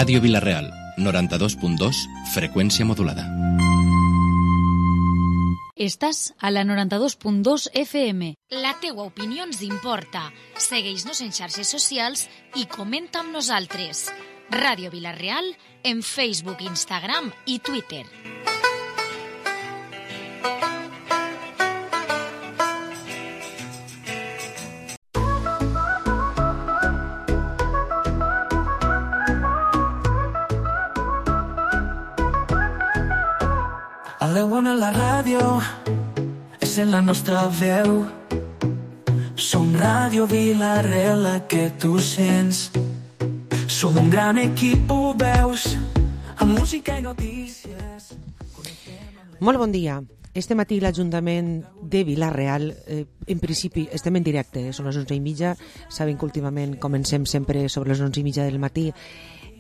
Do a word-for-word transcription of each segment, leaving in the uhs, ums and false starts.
Ràdio Vila-real, noranta-dos punt dos, freqüència modulada. Estàs a la noranta-dos punt dos F M. La teua opinió ens importa. Segueix-nos en xarxes socials i comenta amb nosaltres. Ràdio Vila-real en Facebook, Instagram i Twitter. Aleu-on a la ràdio, és en la nostra veu. Som Ràdio Vila-real, la que tu sents. Som un gran equip, ho veus, amb música i notícies. Molt bon dia. Este matí l'Ajuntament de Vila-real, eh, en principi estem en directe, eh, són les onze i mitja, saben que últimament comencem sempre sobre les onze i mitja del matí.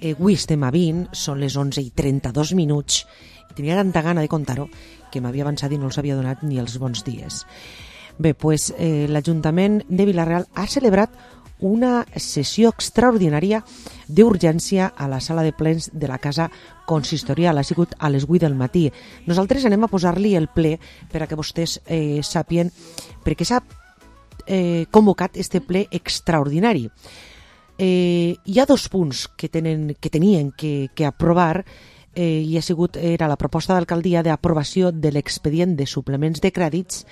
Eh, avui estem a vint, són les onze i trenta-dos minuts, i tenia tanta gana de contar-ho que m'havia avançat i no els havia donat ni els bons dies. Bé, pues, eh, l'Ajuntament de Vila-real ha celebrat una sessió extraordinària d'urgència a la sala de plens de la Casa Consistorial. Ha sigut a les vuit del matí. Nosaltres anem a posar-li el ple per a que vostès eh, sàpien per què s'ha eh, convocat este ple extraordinari. Eh, hi ha dos punts que, tenen, que tenien que, que aprovar eh, i ha sigut, era la proposta d'alcaldia d'aprovació de l'expedient de suplements de crèdits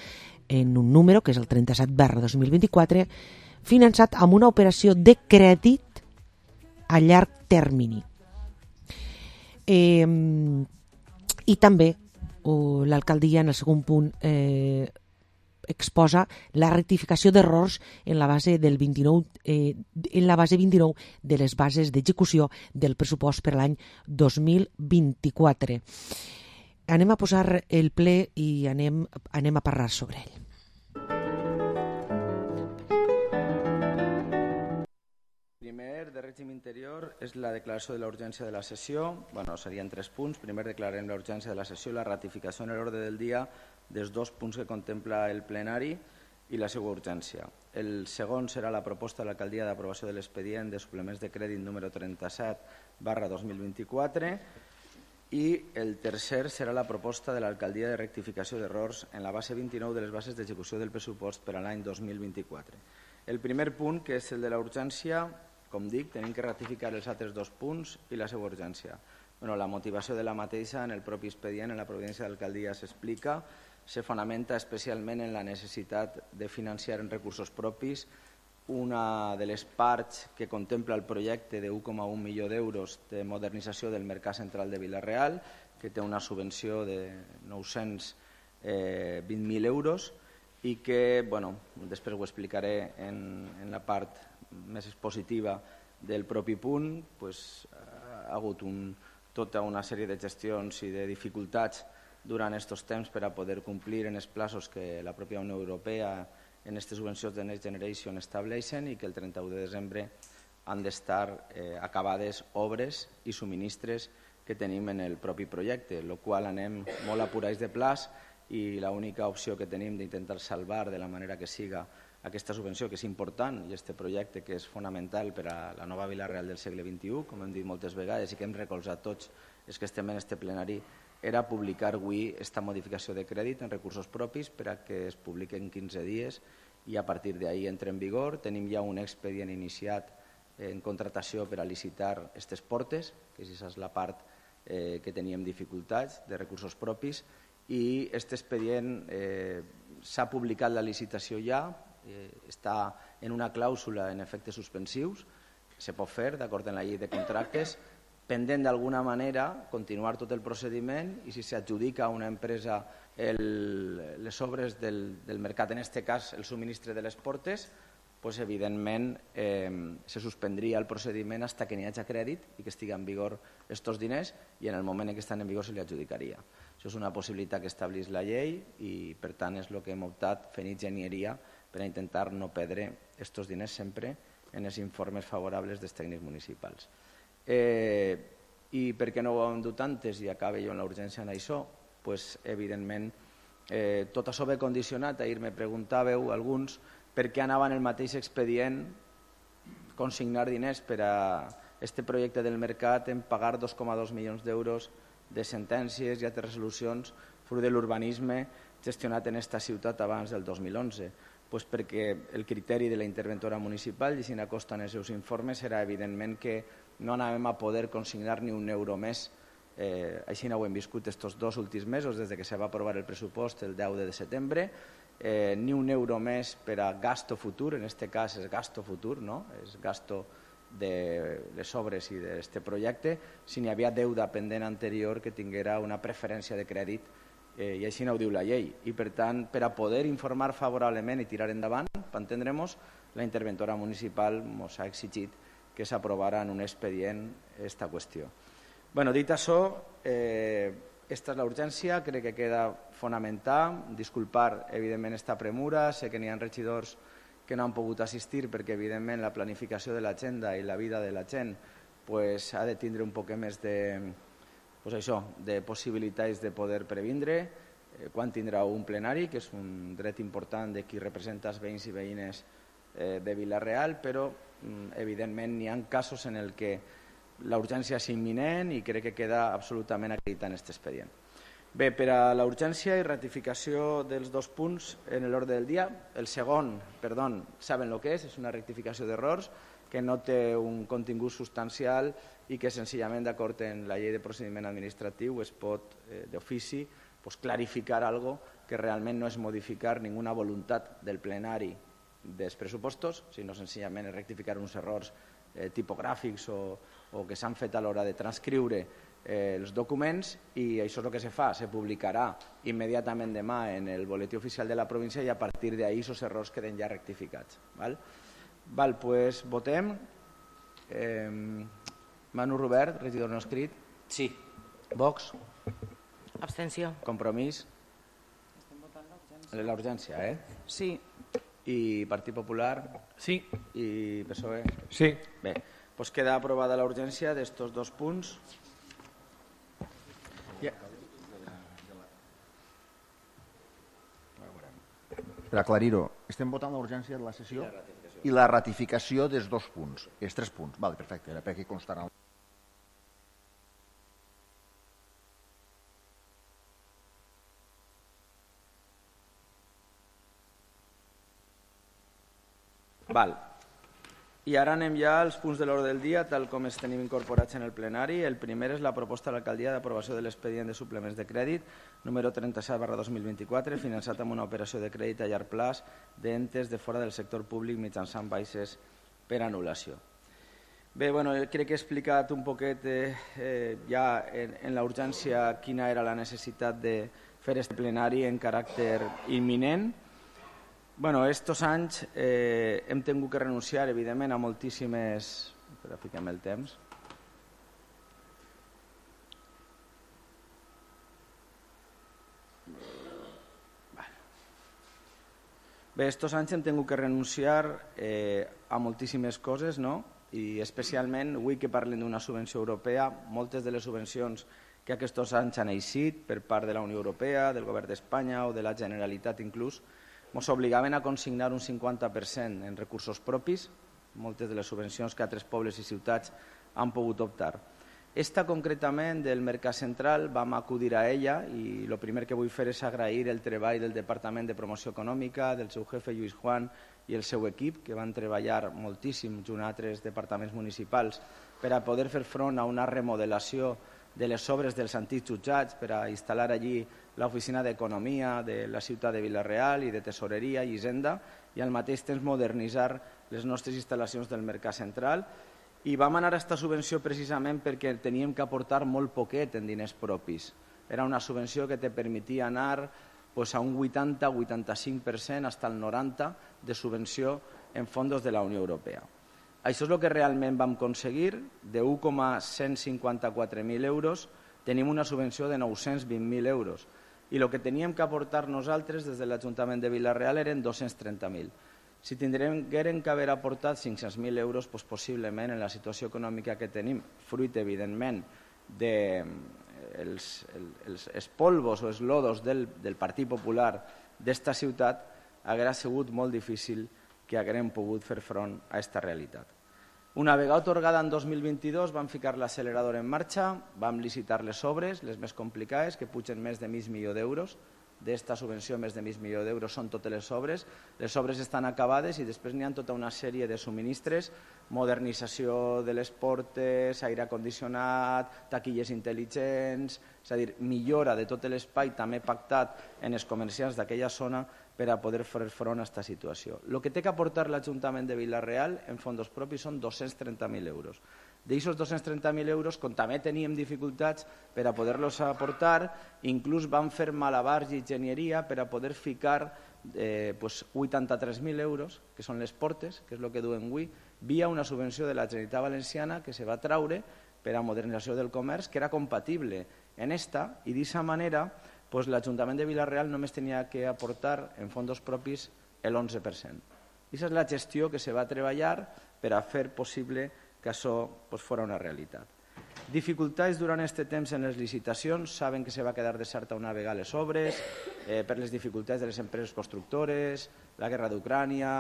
en un número, que és el trenta-set barra dos mil vint-i-quatre, finançat amb una operació de crèdit a llarg termini. Eh, I també oh, l'alcaldia, en el segon punt, eh, exposa la rectificació d'errors en la base del vint-i-nou eh, en la base vint-i-nou de les bases d'execució del pressupost per l'any dos mil vint-i-quatre. Anem a posar el ple i anem, anem a parlar sobre ell. Primer, de règim interior, és la declaració de la urgència de la sessió. Bueno, serien tres punts. Primer, declarem la urgència de la sessió, la ratificació en l'ordre del dia dels dos punts que contempla el plenari i la seva urgència. El segon serà la proposta de l'alcaldia d'aprovació de l'expedient de suplements de crèdit número trenta-set barra dos mil vint-i-quatre i el tercer serà la proposta de l'alcaldia de rectificació d'errors en la base vint-i-nou de les bases d'execució del pressupost per a l'any dos mil vint-i-quatre. El primer punt, que és el de la urgència, com dic, tenim que ratificar els altres dos punts i la seva urgència. Bueno, la motivació de la mateixa en el propi expedient, en la providència d'alcaldia s'explica, se fonamenta especialment en la necessitat de financiar en recursos propis una de les parts que contempla el projecte de un coma un milió d'euros de modernització del Mercat Central de Vila-real, que té una subvenció de nou-cents vint mil euros i que, bueno, després ho explicaré en, en la part més expositiva del propi punt, pues, ha hagut un, tota una sèrie de gestions i de dificultats durant aquests temps per a poder complir en els plaços que la pròpia Unió Europea en aquestes subvencions de Next Generation estableixen i que el trenta-u de desembre han d'estar eh, acabades obres i subministres que tenim en el propi projecte, el qual anem molt apurats de plaç i l'única opció que tenim d'intentar salvar de la manera que siga aquesta subvenció, que és important, i aquest projecte que és fonamental per a la nova Vila-real del segle vint-i-u, com hem dit moltes vegades i que hem recolzat tots els que estem en aquest plenari, era publicar avui aquesta modificació de crèdit en recursos propis per a que es publiqui en quinze dies i a partir d'ahir entra en vigor. Tenim ja un expedient iniciat en contratació per a licitar aquestes portes, que aquesta és la part eh, que teníem dificultats de recursos propis, i aquest expedient eh, s'ha publicat la licitació ja, eh, està en una clàusula en efectes suspensius, se pot fer d'acord amb la llei de contractes, pendent d'alguna manera continuar tot el procediment i si s'adjudica a una empresa el, les obres del, del mercat, en aquest cas el subministre de les portes, pues, evidentment eh, se suspendria el procediment fins que n'hi hagi crèdit i que estigui en vigor aquests diners i en el moment en què estan en vigor se li adjudicaria. Això és una possibilitat que estableix la llei i per tant és el que hem optat fent enginyeria per a intentar no perdre aquests diners sempre en els informes favorables dels tècnics municipals. Eh, I per què no ho hem dut antes i acabe jo en la urgència en això? Pues, evidentment, eh, tot això ve condicionat. Ahir me preguntàveu alguns per què anava en el mateix expedient consignar diners per a este projecte del mercat en pagar dos coma dos milions d'euros de sentències i altres resolucions fruit de l'urbanisme gestionat en esta ciutat abans del dos mil onze. Pues perquè el criteri de la interventora municipal, i si n'acosta en els seus informes, era evidentment que no anàvem a poder consignar ni un euro més. Eh, així no ho hem viscut estos dos últims mesos, des que se va aprovar el pressupost el deu de setembre, eh, ni un euro més per a gasto futur, en aquest cas és gasto futur, no? És gasto de les obres i d'aquest projecte, si n'hi havia deuda pendent anterior que tinguera una preferència de crèdit, eh, i així no ho diu la llei. I per tant, per a poder informar favorablement i tirar endavant, per entendre'ns, la interventora municipal ens ha exigit que s'aprovara en un expedient aquesta qüestió. Bueno, dit això, eh, esta és la urgència, crec que queda fonamental. Disculpar, evidentment, esta premura. Sé que n'hi ha regidors que no han pogut assistir perquè, evidentment, la planificació de l'agenda i la vida de la gent pues, ha de tindre un poc més de, pues això, de possibilitats de poder previndre eh, quan tindrà un plenari, que és un dret important de qui representa els veïns i veïnes eh, de Vila-real, però, mm, evidentment, n'hi ha casos en el que la urgència és imminent i crec que queda absolutament acreditat en aquest expedient. Bé, per a la urgència i ratificació dels dos punts en l'ordre del dia, el segon, perdó, saben el que és, és una rectificació d'errors que no té un contingut substancial i que senzillament d'acord en la llei de procediment administratiu es pot eh, d'ofici pues, clarificar algo que realment no és modificar ninguna voluntat del plenari dels pressupostos, sinó senzillament és rectificar uns errors eh, tipogràfics o, o que s'han fet a l'hora de transcriure eh, els documents, i això és el que se fa, se publicarà immediatament demà en el boletí oficial de la província i a partir d'ahí aquests errors queden ja rectificats. Val? Val, pues votem. Eh, Manu Robert, regidor no escrit. Sí. Vox. Abstenció. Compromís. La urgència, eh? Sí. I Partit Popular. Sí. I P S O E. Sí. Bé, doncs queda aprovada la urgència d'estos dos punts. Per aclarir-ho, estem votant l'urgència de la sessió i la ratificació dels dos punts, els tres punts. Vale, perfecte, era per aquí constarà. Val. I ara anem ja als punts de l'ordre del dia, tal com els tenim incorporats en el plenari. El primer és la proposta de l'alcaldia d'aprovació de l'expedient de suplements de crèdit número trenta-set barra dos mil vint-i-quatre, finançat amb una operació de crèdit a llarg plaç d'entes de fora del sector públic mitjançant baixes per anul·lació. Bé, bueno, crec que he explicat un poquet eh, eh, ja en, en la urgència quina era la necessitat de fer aquest plenari en caràcter imminent. Bueno, estos anys eh, hem tingut que renunciar, evidentment, a moltíssimes... Espera, fiquem el temps. Bé, estos anys hem tingut que renunciar eh, a moltíssimes coses, no? I especialment, avui que parlem d'una subvenció europea, moltes de les subvencions que aquests anys han eixit per part de la Unió Europea, del Govern d'Espanya o de la Generalitat inclús, ens obligaven a consignar un cinquanta per cent en recursos propis, moltes de les subvencions que altres pobles i ciutats han pogut optar. Esta, concretament, del Mercat Central, vam acudir a ella i el primer que vull fer és agrair el treball del Departament de Promoció Econòmica, del seu jefe Lluís Juan i el seu equip, que van treballar moltíssim junt a altres departaments municipals per a poder fer front a una remodelació de les obres dels antics jutjats per a instal·lar allí l'oficina d'Economia de la ciutat de Vila-real i de Tesoreria i Hisenda i al mateix temps modernitzar les nostres instal·lacions del Mercat Central. I vam anar a aquesta subvenció precisament perquè teníem que aportar molt poquet en diners propis. Era una subvenció que te permetia anar pues, a un vuitanta a vuitanta-cinc per cent fins al noranta per cent de subvenció en fons de la Unió Europea. Això és el que realment vam aconseguir. De un coma cent cinquanta-quatre mil euros tenim una subvenció de nou-cents vint mil euros i el que teníem que aportar nosaltres des de l'Ajuntament de Vila-real eren dos-cents trenta mil. Si tindrem que haver aportat cinc-cents mil euros, doncs possiblement en la situació econòmica que tenim, fruit evidentment dels els, els polvos o els lodos del, del Partit Popular d'esta ciutat, hauria sigut molt difícil que haguem pogut fer front a aquesta realitat. Una vegada atorgada en dos mil vint-i-dos vam ficar l'accelerador en marxa, vam licitar les obres, les més complicades, que pugen més de mig milió d'euros. D'esta subvenció, més de mig milió d'euros són totes les obres. Les obres estan acabades i després n'hi ha tota una sèrie de subministres, modernització de les portes, aire condicionat, taquilles intel·ligents, és a dir, millora de tot l'espai també pactat en els comerciants d'aquella zona per a poder fer front a aquesta situació. El que té que aportar l'Ajuntament de Vila-real en fons propis són dos-cents trenta mil euros. D'aquests dos-cents trenta mil euros, com també teníem dificultats per a poder-los aportar, inclús vam fer malabars i enginyeria per a poder ficar eh, pues, vuitanta-tres mil euros, que són les portes, que és el que duen avui, via una subvenció de la Generalitat Valenciana que se va traure per a modernització del comerç, que era compatible en esta, i d'aquesta manera pues, l'Ajuntament de Vila-real només tenia que aportar en fons propis l'onze per cent. Aquesta és la gestió que se va treballar per a fer possible que això pues, fos una realitat. Dificultats durant aquest temps en les licitacions, saben que se va quedar deserta una vegada les obres, eh, per les dificultats de les empreses constructores, la guerra d'Ucrània,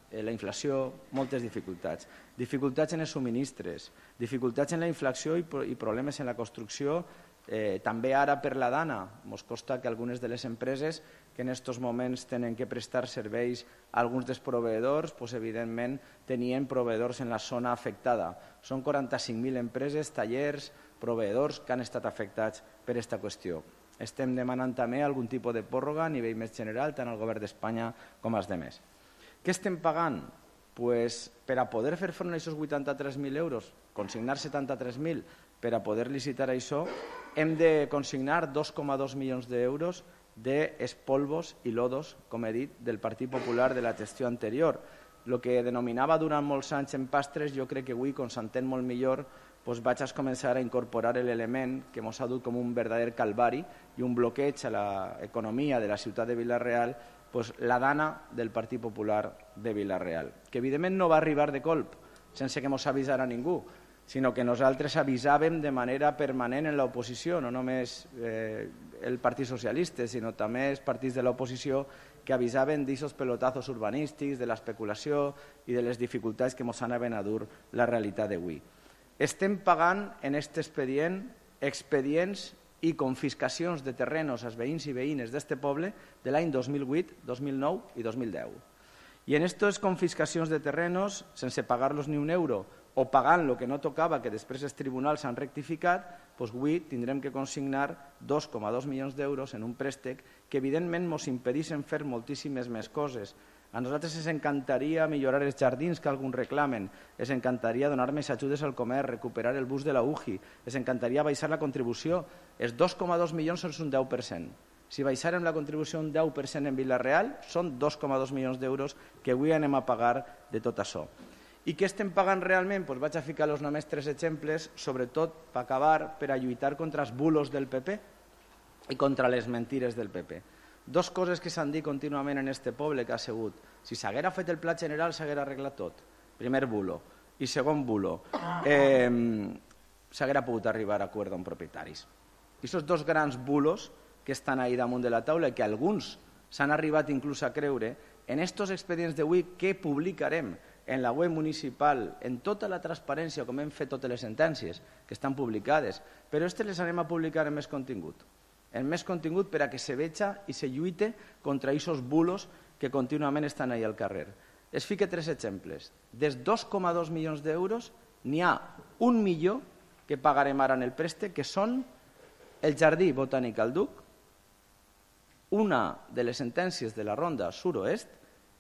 eh, la inflació, moltes dificultats. Dificultats en els subministres, dificultats en la inflació i, i problemes en la construcció, eh, també ara per la dana. Ens costa que algunes de les empreses que en aquests moments tenen que prestar serveis a alguns dels proveïdors, doncs, evidentment tenien proveïdors en la zona afectada. Són quaranta-cinc mil empreses, tallers, proveïdors que han estat afectats per aquesta qüestió. Estem demanant també algun tipus de pròrroga a nivell més general, tant al govern d'Espanya com als altres. Què estem pagant? Pues, per a poder fer front a aquests vuitanta-tres mil euros, consignar setanta-tres mil per a poder licitar això, hem de consignar dos coma dos milions d'euros d'espolvos i lodos, com he dit, del Partit Popular de la gestió anterior. El que denominava durant molts anys en pastres, jo crec que avui, com s'entén molt millor, doncs vaig a començar a incorporar l'element que ens ha dut com un verdader calvari i un bloqueig a l'economia de la ciutat de Vila-real, doncs la dana del Partit Popular de Vila-real, que evidentment no va arribar de colp, sense que ens avisara ningú, sinó que nosaltres avisàvem de manera permanent en l'oposició, no només eh, el Partit Socialista, sinó també els partits de l'oposició que avisaven d'aquests pelotazos urbanístics, de l'especulació i de les dificultats que ens anaven a dur la realitat d'avui. Estem pagant en aquest expedient expedients i confiscacions de terrenos als veïns i veïnes d'aquest poble de l'any dos mil vuit, dos mil nou i dos mil deu. I en aquestes confiscacions de terrenos, sense pagar-los ni un euro, o pagant el que no tocava, que després els tribunals han rectificat, doncs avui tindrem que consignar dos coma dos milions d'euros en un préstec que evidentment ens impedeixen fer moltíssimes més coses. A nosaltres ens encantaria millorar els jardins que alguns reclamen, ens encantaria donar més ajudes al comerç, recuperar el bus de la U G I, ens encantaria baixar la contribució. Els dos coma dos milions són un deu per cent. Si baixarem la contribució un deu per cent en Vila-real, són dos coma dos milions d'euros que avui anem a pagar de tot això. I què estem pagant realment? Doncs vaig a ficar-los només tres exemples, sobretot per acabar, per a lluitar contra els bulos del P P i contra les mentires del P P. Dos coses que s'han dit contínuament en aquest poble que ha sigut. Si s'haguera fet el pla general s'haguera arreglat tot. Primer bulo. I segon bulo. Eh, s'haguera pogut arribar a acord amb propietaris. I aquests dos grans bulos que estan ahí damunt de la taula i que alguns s'han arribat inclús a creure, en aquests expedients d'avui que publicarem en la web municipal, en tota la transparència, com hem fet totes les sentències, que estan publicades, però aquestes les anem a publicar en més contingut. En més contingut per a que se veja i se lluite contra aquests bulos que contínuament estan ahí al carrer. Es fique tres exemples. Dels dos coma dos milions d'euros, n'hi ha un milió que pagarem ara en el préstec, que són el Jardí Botànic al Duc, una de les sentències de la Ronda Sud-oest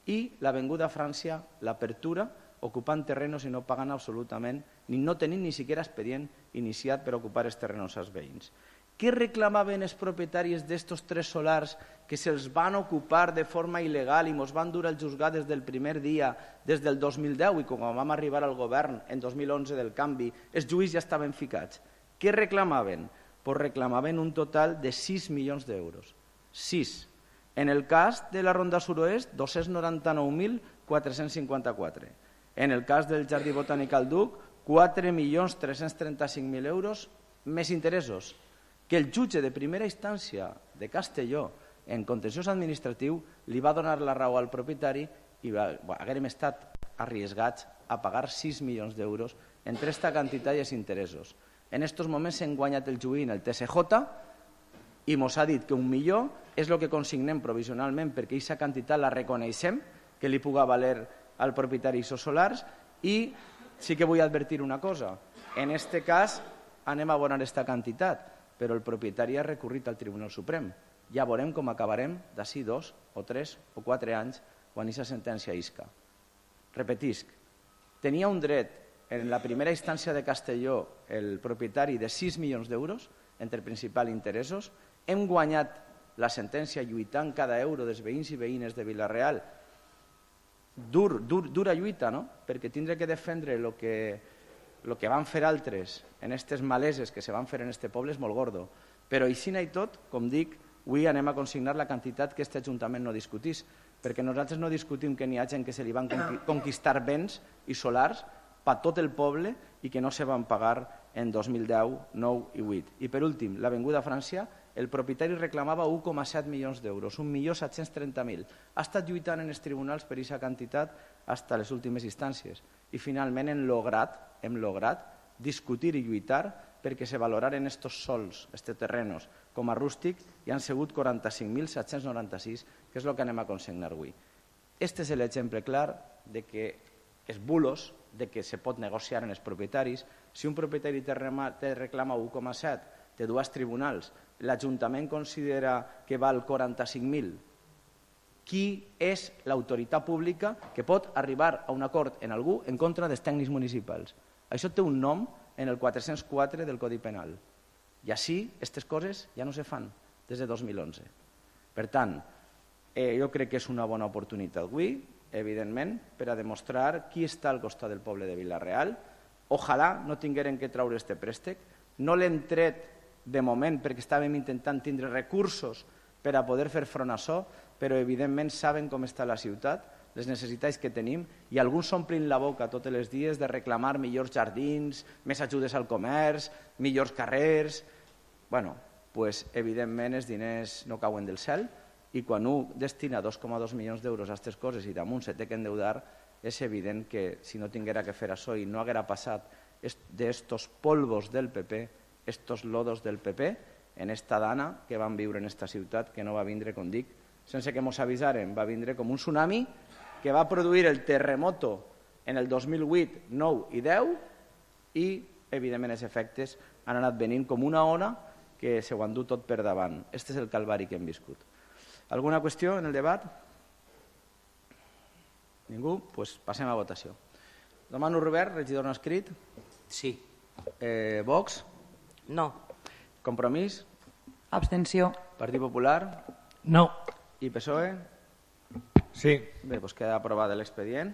i l'Avinguda França, l'Apertura, ocupant terrenos i no pagant absolutament, ni no tenint ni siquiera expedient iniciat per ocupar els terrenos als veïns. Què reclamaven els propietaris d'estos tres solars que se'ls van ocupar de forma il·legal i ens van dur al juzgat des del primer dia, des del dos mil deu, i quan vam arribar al govern en dos mil onze del canvi, els juïs ja estaven ficats? Què reclamaven? Pues reclamaven un total de sis milions d'euros. sis. En el cas de la Ronda Sud-oest, dos-cents noranta-nou mil quatre-cents cinquanta-quatre. En el cas del Jardí Botànic al Duc, quatre milions tres-cents trenta-cinc mil euros més interessos, que el jutge de primera instància de Castelló, en contenciós administratiu, li va donar la raó al propietari i haguérem estat arriesgats a pagar sis milions d'euros entre esta quantitat i els interessos. En aquests moments hem guanyat el juí en el T S J i ens ha dit que un milió és el que consignem provisionalment perquè aquesta quantitat la reconeixem, que li puga valer al propietari dels solars, i sí que vull advertir una cosa. En aquest cas anem a abonar aquesta quantitat, però el propietari ha recorrit al Tribunal Suprem. Ja veurem com acabarem d'ací dos o tres o quatre anys quan aquesta sentència isca. Repetisc, tenia un dret en la primera instància de Castelló el propietari de sis milions d'euros entre principal i interessos. Hem guanyat la sentència lluitant cada euro dels veïns i veïnes de Vila-real. Dur, dur, dura lluita, no? Perquè tindré que defendre el que, lo que van fer altres en aquestes maleses que se van fer en este poble és molt gordo. Però així i tot, com dic, avui anem a consignar la quantitat que aquest Ajuntament no discutís, perquè nosaltres no discutim que n'hi ha gent que se li van conquistar béns i solars per tot el poble i que no se van pagar en dos mil deu, nou i vuit. I per últim, l'Avinguda França, el propietari reclamava un coma set milions d'euros, un milió set-cents trenta mil. Ha estat lluitant en els tribunals per aquesta quantitat fins a les últimes instàncies. I finalment hem lograt, hem lograt discutir i lluitar perquè se valoraren estos sols, estos terrenos, com a rústic, i han sigut quaranta-cinc mil set-cents noranta-sis, que és el que anem a consignar avui. Este és l'exemple clar de que els bulos, de que se pot negociar en els propietaris. Si un propietari te reclama un coma set, de dues tribunals, l'Ajuntament considera que val quaranta-cinc mil, qui és l'autoritat pública que pot arribar a un acord en algú en contra dels tècnics municipals? Això té un nom en el quatre-cents quatre del Codi Penal. I així, aquestes coses ja no se fan des de dos mil onze. Per tant, eh, jo crec que és una bona oportunitat avui, evidentment, per a demostrar qui està al costat del poble de Vila-real. Ojalà no tingueren que treure este préstec. No l'hem tret de moment perquè estàvem intentant tindre recursos per a poder fer front a això, però evidentment saben com està la ciutat, les necessitats que tenim, i alguns s'omplin la boca tots els dies de reclamar millors jardins, més ajudes al comerç, millors carrers. Bueno, doncs evidentment els diners no cauen del cel, i quan un destina dos coma dos milions d'euros a aquestes coses i damunt se té que endeudar, és evident que si no tinguera que fer això i no haguera passat d'estos polvos del P P, estos lodos del P P, en esta dana que van viure en esta ciutat, que no va vindre, com dic, sense que mos avisaren, va vindre com un tsunami que va produir el terremoto en el dos mil vuit, nou i deu, i evidentment els efectes han anat venint com una ona que se ho han dut tot per davant. Este és el calvari que hem viscut. Alguna qüestió en el debat? Ningú? Doncs passem a votació. Demano Robert, regidor no escrit. Sí. Eh, Vox? No. Compromís? Abstenció. Partit Popular? No. I P S O E? Sí. Bé, doncs queda aprovat l'expedient.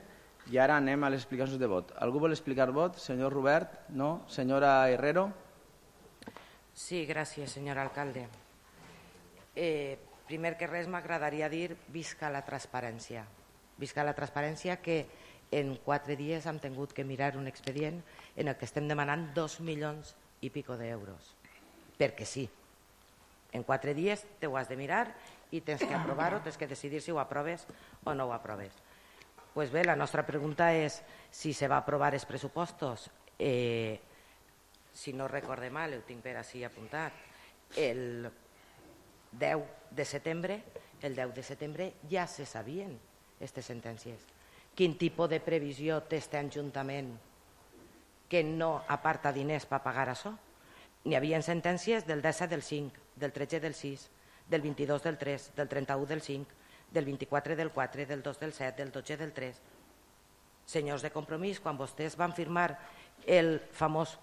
I ara anem a les explicacions de vot. Algú vol explicar vot? Senyor Robert? No? Senyora Herrero? Sí, gràcies, senyor alcalde. Eh, primer que res m'agradaria dir visca la transparència. Visca la transparència que en quatre dies hem tingut que mirar un expedient en el que estem demanant dos milions i pico d'euros. Perquè sí. En quatre dies te ho has de mirar i tens que aprovar-ho, tens que decidir si ho aproves o no ho aproves. Pues bé, la nostra pregunta és si se va aprovar els pressupostos. Eh, si no recorde mal, ho tinc per així apuntat, el deu de setembre, el deu de setembre ja se sabien aquestes sentències. Quin tipus de previsió té aquest Ajuntament que no aparta diners per pagar això? N'hi havia sentències del disset del cinc, del tretze del sis, del vint-i-dos del tres, del trenta-u del cinc, del vint-i-quatre del quatre, del dos del set, del dotze del tres. Senyors de Compromís, quan vostès van firmar el famós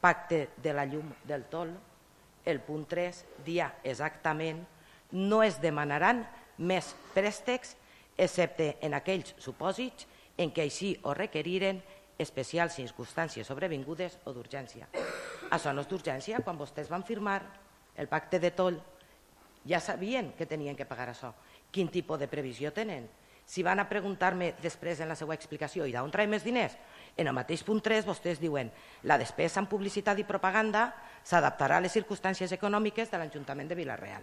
pacte de la llum del tol, el punt tres dia exactament no es demanaran més préstecs excepte en aquells supòsits en què així ho requeriren especials circumstàncies sobrevingudes o d'urgència. Això no és d'urgència. Quan vostès van firmar el pacte de toll ja sabien que tenien que pagar això. Quin tipus de previsió tenen? Si van a preguntar-me després en la seva explicació i d'on traiem més diners, en el mateix punt tres vostès diuen la despesa en publicitat i propaganda s'adaptarà a les circumstàncies econòmiques de l'Ajuntament de Vila-real.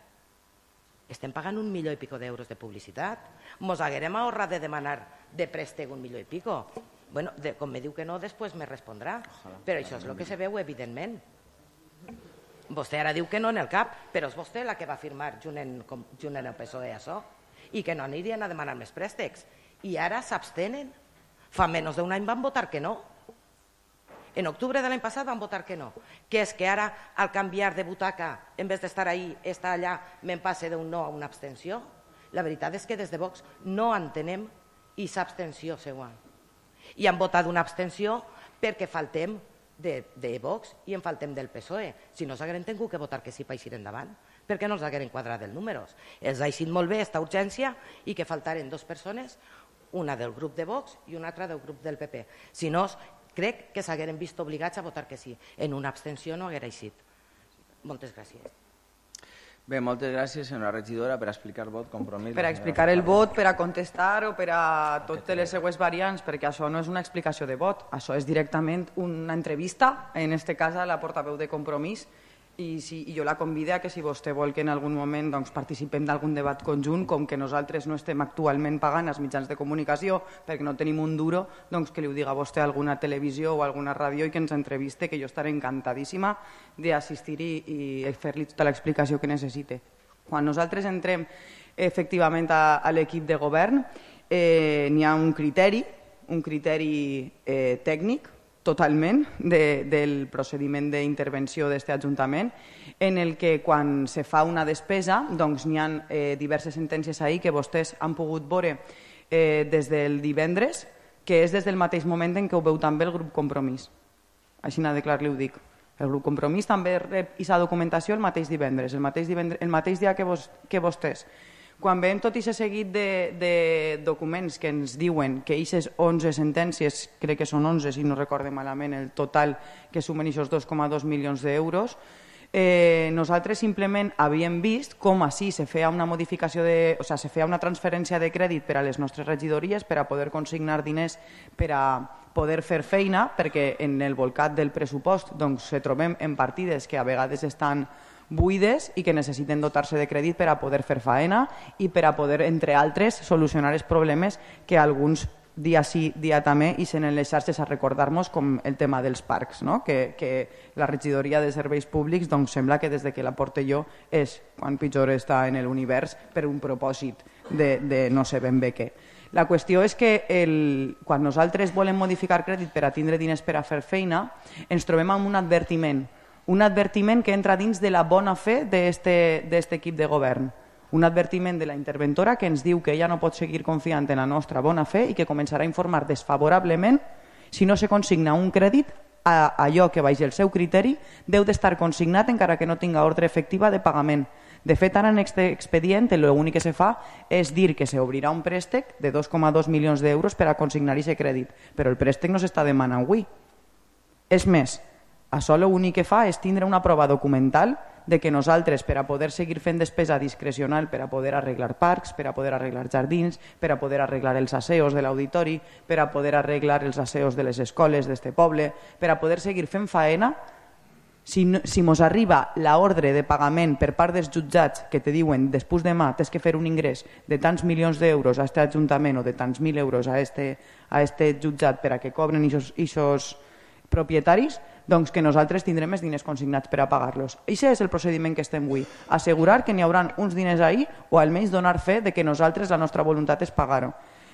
Estem pagant un milió i pico d'euros de publicitat. Mos haguerem ahorrat de demanar de préstec un milió i pico. Bueno, de, com me diu que no, després me respondrà. Però això és el que se veu, evidentment. Vostè ara diu que no en el cap, però és vostè la que va firmar junt en, junt en el P S O E això, i que no anirien a demanar més préstecs. I ara s'abstenen. Fa menys d'un any van votar que no. En octubre de l'any passat van votar que no. Que és que ara, al canviar de butaca, en vez d'estar ahí, estar allà, me'n passe d'un no a una abstenció? La veritat és que des de Vox no entenem i s'abstenció seua. I han votat una abstenció perquè faltem de, de Vox i en faltem del P S O E. Si no s'hagueren tingut que votar que sí per eixir endavant, perquè no els hagueren quadrat els números. Els ha eixit molt bé esta urgència i que faltaren dues persones, una del grup de Vox i una altra del grup del P P. Si no, crec que s'hagueren vist obligats a votar que sí. En una abstenció no haguera eixit. Moltes gràcies. Bé, moltes gràcies, senyora regidora, per explicar el vot, compromís. Per a explicar el vot, per a contestar o per a totes les següents variants, perquè això no és una explicació de vot, això és directament una entrevista, en aquest cas a la portaveu de Compromís, i, si, i jo la convido a que si vostè vol que en algun moment doncs, participem d'algun debat conjunt, com que nosaltres no estem actualment pagant els mitjans de comunicació perquè no tenim un duro, doncs que li ho diga vostè a alguna televisió o a alguna ràdio i que ens entreviste, que jo estaré encantadíssima d'assistir i, i fer-li tota l'explicació que necessite. Quan nosaltres entrem efectivament a, a l'equip de govern, eh, n'hi ha un criteri, un criteri eh, tècnic, totalment de, del procediment d'intervenció d'aquest Ajuntament, en el que quan se fa una despesa doncs n'hi ha eh, diverses sentències ahir que vostès han pogut veure eh, des del divendres, que és des del mateix moment en què ho veu també el grup Compromís. Així de clar li ho dic. El grup Compromís també rep aquesta documentació el mateix divendres, el mateix, divendres, el mateix dia que, vos, que vostès. Quan veiem tot aquest seguit de, de documents que ens diuen que aquestes onze sentències, crec que són onze si no recorde malament el total que sumen aquests dos coma dos milions d'euros, eh, nosaltres simplement havíem vist com així se feia una modificació de, o sigui, se feia una transferència de crèdit per a les nostres regidories per a poder consignar diners per a poder fer feina, perquè en el volcat del pressupost doncs, se trobem en partides que a vegades estan buides i que necessiten dotar-se de crèdit per a poder fer faena i per a poder, entre altres, solucionar els problemes que alguns dia sí, dia també, i sent en les xarxes a recordar-nos com el tema dels parcs, no? que, que la regidoria de serveis públics doncs, sembla que des de que la porte jo és quan pitjor està en l'univers per un propòsit de, de no sé ben bé què. La qüestió és que el, quan nosaltres volem modificar crèdit per a tindre diners per a fer feina, ens trobem amb un advertiment un advertiment que entra dins de la bona fe d'aquest equip de govern. Un advertiment de la interventora que ens diu que ella no pot seguir confiant en la nostra bona fe i que començarà a informar desfavorablement si no se consigna un crèdit a allò que baix el seu criteri deu d'estar consignat encara que no tinga ordre efectiva de pagament. De fet, ara en aquest expedient l'únic que se fa és dir que s'obrirà un préstec de dos coma dos milions d'euros per a consignar aquest crèdit, però el préstec no s'està demanant avui. És més, això l'únic que fa és tindre una prova documental de que nosaltres, per a poder seguir fent despesa discrecional, per a poder arreglar parcs, per a poder arreglar jardins, per a poder arreglar els asseos de l'auditori, per a poder arreglar els asseos de les escoles d'este poble, per a poder seguir fent faena, si, no, si mos arriba l'ordre de pagament per part dels jutjats que te diuen després demà tens que fer un ingrés de tants milions d'euros a aquest ajuntament o de tants mil euros a este, a este jutjat per a que cobren aquests propietaris, doncs que nosaltres tindrem els diners consignats per a pagar-los. Això és el procediment que estem avui. Assegurar que n'hi haurà uns diners ahí o almenys donar fe de que nosaltres la nostra voluntat és pagar-ho.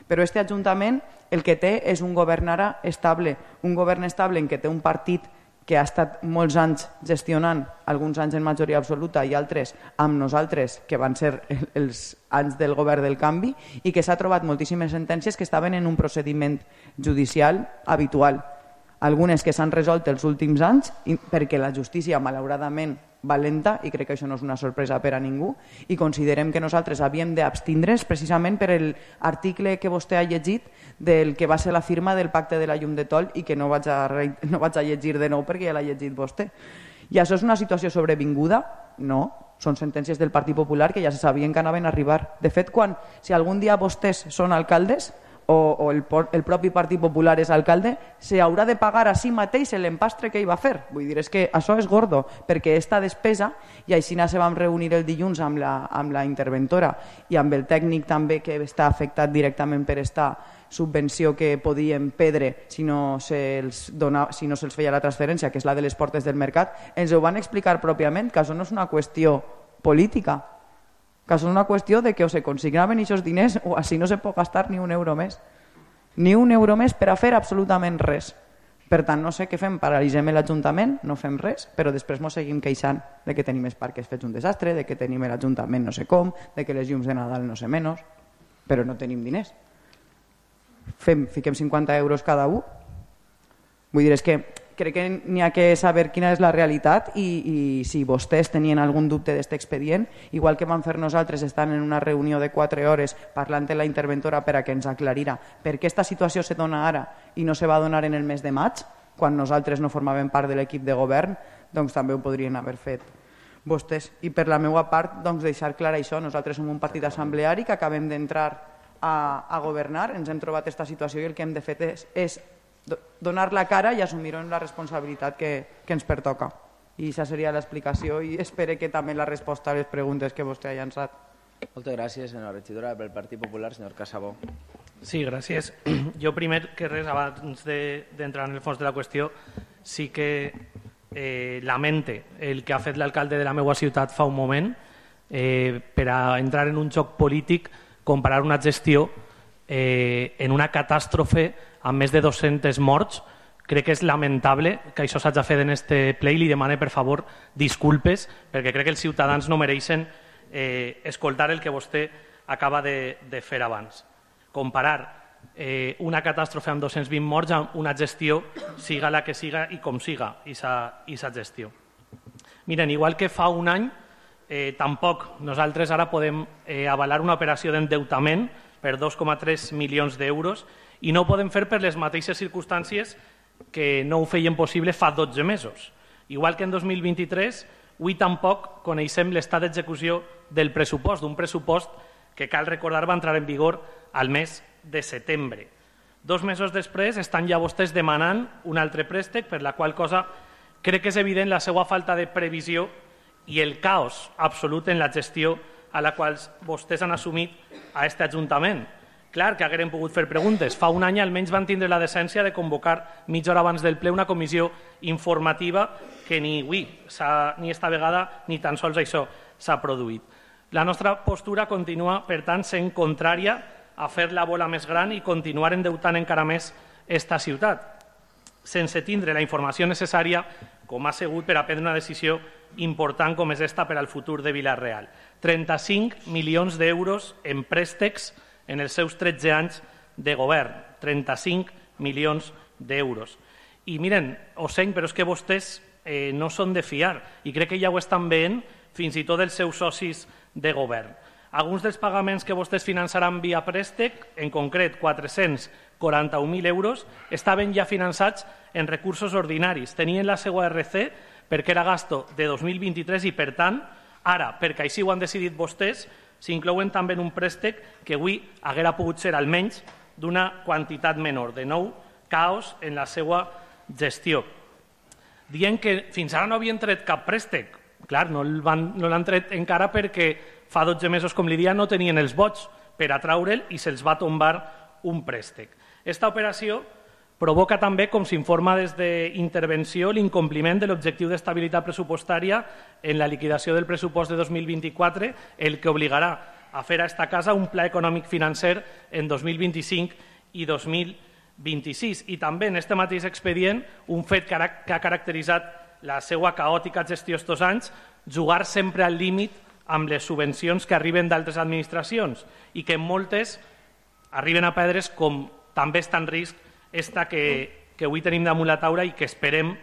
Però este Ajuntament el que té és un govern ara estable, un govern estable en què té un partit que ha estat molts anys gestionant, alguns anys en majoria absoluta i altres amb nosaltres, que van ser els anys del govern del canvi, i que s'ha trobat moltíssimes sentències que estaven en un procediment judicial habitual. Algunes que s'han resolt els últims anys perquè la justícia, malauradament, va lenta, i crec que això no és una sorpresa per a ningú, i considerem que nosaltres havíem d'abstindre's precisament per l'article que vostè ha llegit del que va ser la firma del pacte de la llum de Tol i que no vaig a, no vaig a llegir de nou perquè ja l'ha llegit vostè. I això és una situació sobrevinguda? No. Són sentències del Partit Popular que ja se sabien que anaven a arribar. De fet, quan, si algun dia vostès són alcaldes, o, o el, el propi Partit Popular és alcalde, se haurà de pagar a si mateix l'empastre que hi va fer. Vull dir, és que això és gordo, perquè esta despesa, i així se vam reunir el dilluns amb la, amb la interventora i amb el tècnic també que està afectat directament per esta subvenció que podien perdre si no se'ls dona, si no se'ls feia la transferència, que és la de les portes del mercat, ens ho van explicar pròpiament, que això no és una qüestió política, que és una qüestió de que o se consignaven aquests diners o així no se pot gastar ni un euro més. Ni un euro més per a fer absolutament res. Per tant, no sé què fem, paralitzem l'Ajuntament, no fem res, però després ens seguim queixant de que tenim els parcs fets un desastre, de que tenim l'Ajuntament no sé com, de que les llums de Nadal no sé menys, però no tenim diners. Fem, fiquem cinquanta euros cada un. Vull dir, és que crec que n'hi ha que saber quina és la realitat i, i si vostès tenien algun dubte d'aquest expedient, igual que vam fer nosaltres estant en una reunió de quatre hores parlant amb la interventora per a que ens aclarira per què aquesta situació se dona ara i no se va donar en el mes de maig, quan nosaltres no formàvem part de l'equip de govern, doncs també ho podrien haver fet vostès. I per la meva part, doncs, deixar clar això, nosaltres som un partit assembleari que acabem d'entrar a, a governar, ens hem trobat aquesta situació i el que hem de fer és, és donar la cara i assumir la responsabilitat que, que ens pertoca. I aquesta seria l'explicació i espero que també la resposta a les preguntes que vostè ha llançat. Moltes gràcies, senyora regidora. Pel Partit Popular, senyor Casabó. Sí, gràcies. Jo primer que res, abans d'entrar en el fons de la qüestió, sí que eh, lamente el que ha fet l'alcalde de la meva ciutat fa un moment eh, per a entrar en un joc polític, comparar una gestió eh, en una catàstrofe amb més de dos-cents morts. Crec que és lamentable que això s'hagi fet en este ple i li demane, per favor, disculpes, perquè crec que els ciutadans no mereixen eh, escoltar el que vostè acaba de, de fer abans. Comparar eh, una catàstrofe amb dos-cents vint morts amb una gestió, siga la que siga i com siga, i sa gestió. Miren, igual que fa un any, eh, tampoc nosaltres ara podem eh, avalar una operació d'endeutament per dos coma tres milions d'euros i no ho podem fer per les mateixes circumstàncies que no ho feien possible fa dotze mesos. Igual que en dos mil vint-i-tres, avui tampoc coneixem l'estat d'execució del pressupost, d'un pressupost que, cal recordar, va entrar en vigor al mes de setembre. Dos mesos després estan ja vostès demanant un altre préstec, per la qual cosa crec que és evident la seva falta de previsió i el caos absolut en la gestió a la qual vostès han assumit a aquest Ajuntament. Clar que hagueren pogut fer preguntes. Fa un any almenys van tindre la decència de convocar mitja hora abans del ple una comissió informativa que ni avui, ni esta vegada, ni tan sols això s'ha produït. La nostra postura continua, per tant, sent contrària a fer la bola més gran i continuar endeutant encara més esta ciutat, sense tindre la informació necessària, com ha sigut, per a prendre una decisió important com és esta per al futur de Vila-real. trenta-cinc milions d'euros en préstecs en els seus tretze anys de govern, trenta-cinc milions d'euros. I miren, ho sent, però és que vostès eh, no són de fiar i crec que ja ho estan veient fins i tot els seus socis de govern. Alguns dels pagaments que vostès finançaran via préstec, en concret quatre-cents quaranta-un mil euros, estaven ja finançats en recursos ordinaris. Tenien la seva R C perquè era gasto de dos mil vint-i-tres i, per tant, ara, perquè així ho han decidit vostès, s'inclouen també en un préstec que avui haguera pogut ser almenys d'una quantitat menor. De nou, caos en la seva gestió. Dient que fins ara no havien tret cap préstec. Clar, no l'han tret encara perquè fa dotze mesos, com li dia, no tenien els vots per a traure'l i se'ls va tombar un préstec. Esta operació provoca també, com s'informa des d'intervenció, l'incompliment de l'objectiu d'estabilitat pressupostària en la liquidació del pressupost de dos mil vint-i-quatre, el que obligarà a fer a esta casa un pla econòmic financer en dos mil vint-i-cinc i dos mil vint-i-sis. I també en aquest mateix expedient, un fet que ha caracteritzat la seva caòtica gestió estos anys, jugar sempre al límit amb les subvencions que arriben d'altres administracions i que en moltes arriben a perdre's, com també està en risc esta que, que avui tenim damunt la taula i que esperem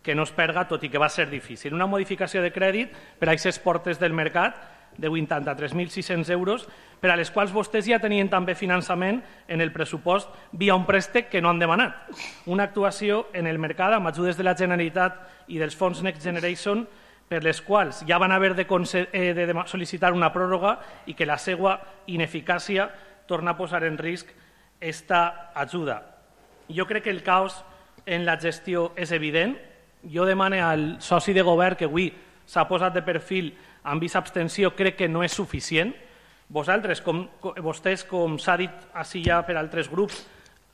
que no es perga, tot i que va ser difícil. Una modificació de crèdit per a aquestes portes del mercat de vuitanta-tres mil sis-cents euros, per a les quals vostès ja tenien també finançament en el pressupost via un préstec que no han demanat. Una actuació en el mercat amb ajudes de la Generalitat i dels fons Next Generation, per les quals ja van haver de, eh, de sol·licitar una pròrroga i que la seva ineficàcia torna a posar en risc esta ajuda. Jo crec que el caos en la gestió és evident. Jo demano al soci de govern que avui s'ha posat de perfil amb aquesta abstenció, crec que no és suficient. Vosaltres, com, vostès, com s'ha dit així ja per altres grups,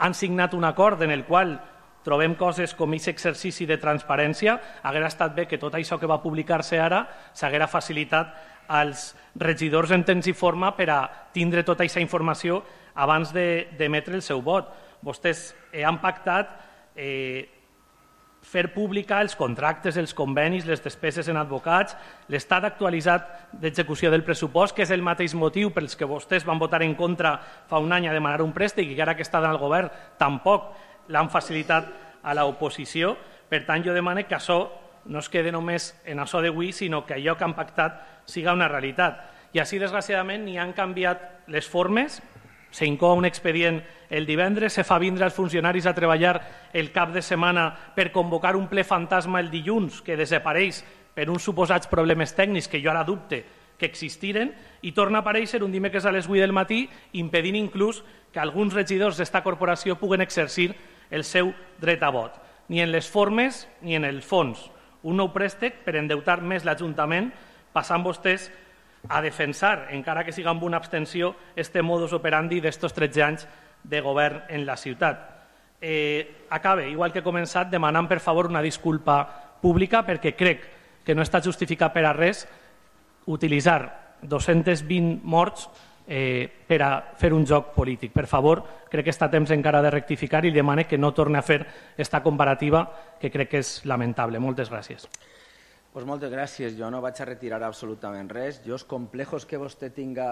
han signat un acord en el qual trobem coses com aquest exercici de transparència. Hauria estat bé que tot això que va publicar-se ara s'haguera facilitat als regidors en temps i forma per a tindre tota aquesta informació abans d'emetre el seu vot. Vostès han pactat eh, fer pública els contractes, els convenis, les despeses en advocats, l'estat actualitzat d'execució del pressupost, que és el mateix motiu pels que vostès van votar en contra fa un any a demanar un préstec i que ara que estan al govern tampoc l'han facilitat a l'oposició. Per tant, jo demano que això no es quede només en això d'avui, sinó que allò que han pactat siga una realitat. I així, desgraciadament, ni han canviat les formes. S'incou un expedient el divendres, se fa vindre els funcionaris a treballar el cap de setmana per convocar un ple fantasma el dilluns que desapareix per uns suposats problemes tècnics que jo ara dubte que existiren, i torna a aparèixer un dimecres a les vuit del matí impedint inclús que alguns regidors d'esta corporació puguen exercir el seu dret a vot. Ni en les formes ni en el fons. Un nou préstec per endeutar més l'Ajuntament, passant vostès a defensar, encara que siga amb una abstenció, este modus operandi d'estos tretze anys de govern en la ciutat. Eh, acabe, igual que he començat, demanant per favor una disculpa pública, perquè crec que no està justificat per a res utilitzar dos-cents vint morts eh, per a fer un joc polític. Per favor, crec que està a temps encara de rectificar i demane que no torni a fer esta comparativa, que crec que és lamentable. Moltes gràcies. Pues moltes gràcies. Jo no vaig a retirar absolutament res. Jo els complejos que vostè tinga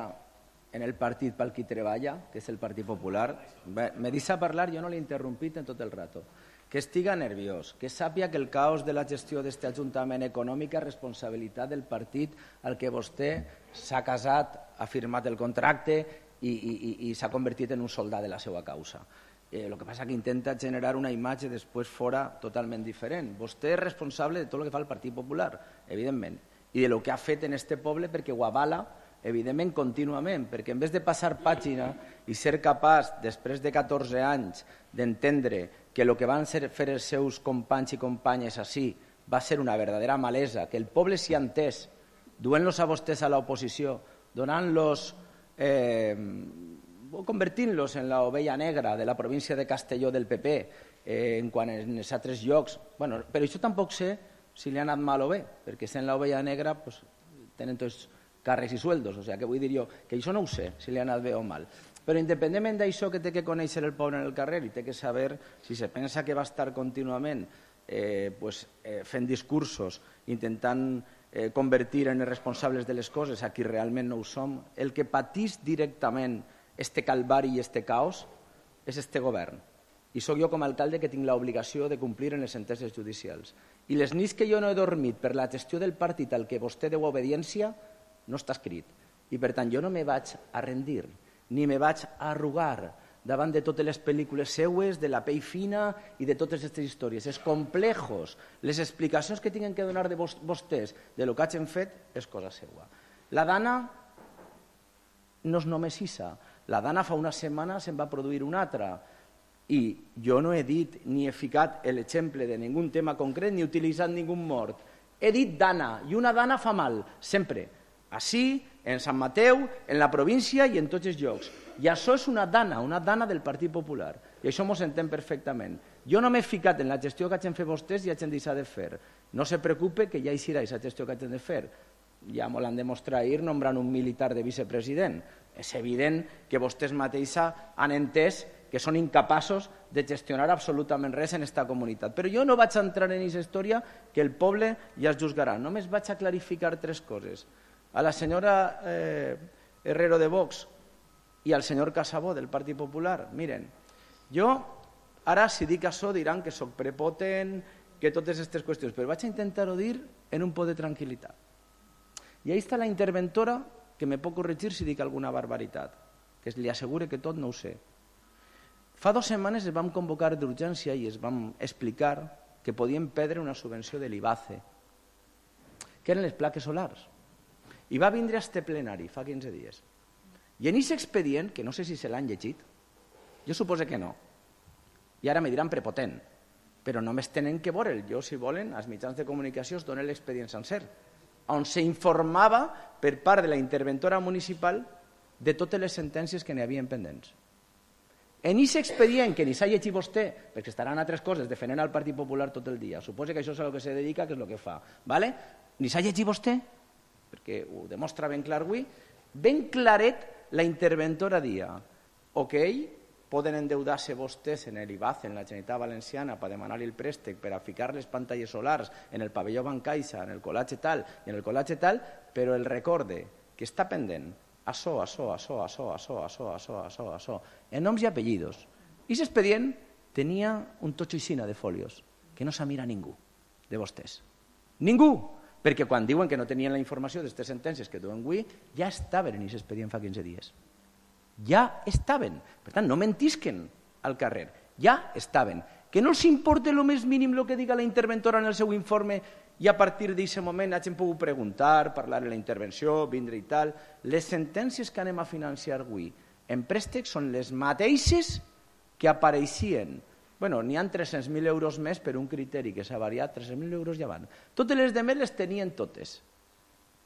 en el partit pel qui treballa, que és el Partit Popular, bé, me deixa parlar, jo no l'he interrompit en tot el rato. Que estiga nerviós, que sàpia que el caos de la gestió d'aquest Ajuntament econòmic és responsabilitat del partit al que vostè s'ha casat, ha firmat el contracte i, i, i, i s'ha convertit en un soldat de la seva causa. Eh, el que passa és que intenta generar una imatge després fora totalment diferent. Vostè és responsable de tot el que fa el Partit Popular, evidentment, i de lo que ha fet en este poble, perquè ho avala, evidentment, contínuament, perquè en vez de passar pàgina i ser capaç, després de catorze anys, d'entendre que el que van fer els seus companys i companyes així va ser una verdadera malesa, que el poble s'hi ha entès, duent-los a vostès a l'oposició, donant-los... Eh, convertint-los en l'ovella negra de la província de Castelló del P P, eh, en quan en els altres llocs... Bueno, però això tampoc sé si li ha anat mal o bé, perquè sent l'ovella negra pues, tenen tots càrrecs i sueldos, o sigui, que vull dir jo que això no ho sé, si li ha anat bé o mal. Però independentment d'això que té que conèixer el poble en el carrer i té que saber si se pensa que va estar contínuament eh, pues, eh, fent discursos, intentant eh, convertir en els responsables de les coses a qui realment no ho som, el que patís directament este calvari i este caos és este govern. I sóc jo com a alcalde que tinc l'obligació de complir en les sentències judicials. I les nits que jo no he dormit per la gestió del partit al que vostè deu obediència no està escrit. I per tant jo no me vaig a rendir, ni me vaig a arrugar davant de totes les pel·lícules seues, de la pell fina i de totes aquestes històries. Els complejos, les explicacions que tinguin que donar de vostès de lo que hagin fet és cosa seua. La Dana no és només Issa. La Dana fa una setmana se'n va produir una altra i jo no he dit ni he ficat l'exemple de ningú tema concret ni he utilitzat ningú mort. He dit Dana i una Dana fa mal, sempre. Així, en Sant Mateu, en la província i en tots els llocs. I això és una Dana, una Dana del Partit Popular. I això m'ho s'entén perfectament. Jo no m'he ficat en la gestió que hagin fet vostès i hagin deixat de fer. No se preocupe que ja hi serà aquesta gestió que hagin de fer. Ja m'ho l'han demostrat ahir nombrant un militar de vicepresident. És evident que vostès mateixa han entès que són incapaços de gestionar absolutament res en aquesta comunitat. Però jo no vaig entrar en aquesta història que el poble ja es juzgarà. Només vaig a clarificar tres coses. A la senyora eh, Herrero de Vox i al senyor Casabó del Partit Popular, miren, jo ara si dic això diran que sóc prepotent, que totes aquestes qüestions, però vaig a intentar-ho dir en un poc de tranquil·litat. I ahí està la interventora que me pot corregir si dic alguna barbaritat, que li assegure que tot no ho sé. Fa dues setmanes es vam convocar d'urgència i es vam explicar que podíem perdre una subvenció de l'IBACE, que eren les plaques solars. I va vindre a este plenari fa quinze dies. I en aquest expedient, que no sé si se l'han llegit, Jo supose que no. I ara me diran prepotent. Però només tenen que veure'l. Jo, si volen, als mitjans de comunicació es dona l'expedient sencer, on s'informava per part de la interventora municipal de totes les sentències que n'hi havia pendents. En aquest expedient, que ni s'ha llegit vostè, perquè estaran altres coses defendent al Partit Popular tot el dia, suposa que això és a lo que se dedica, que és el que fa, ¿vale? Ni s'ha llegit vostè, perquè ho demostra ben clar avui, ben claret la interventora dia, ok, poden endeudar-se vostès en el I B A C, en la Generalitat Valenciana, per demanar el préstec, per a ficar les pantalles solars en el pavelló Bancaixa, en el col·latge tal i en el col·latge tal, però el recorde que està pendent això, això, això, això, això, això, això, això, això, en noms i apellidos. I aquest expedient tenia un totxo aixina de folios, que no s'ha mirat ningú de vostès. Ningú! Perquè quan diuen que no tenien la informació d'aquestes sentències que duen avui, ja estaven en aquest expedient fa quinze dies. Ja estaven. Per tant, no mentisquen al carrer. Ja estaven. Que no els importa el més mínim el que diga la interventora en el seu informe i a partir d'aquest moment hagin pogut preguntar, parlar de la intervenció, vindre i tal. Les sentències que anem a financiar avui en préstecs són les mateixes que apareixien. Bueno, n'hi ha tres-cents mil euros més per un criteri que s'ha variat, tres-cents mil euros ja van. Totes les demés les tenien totes.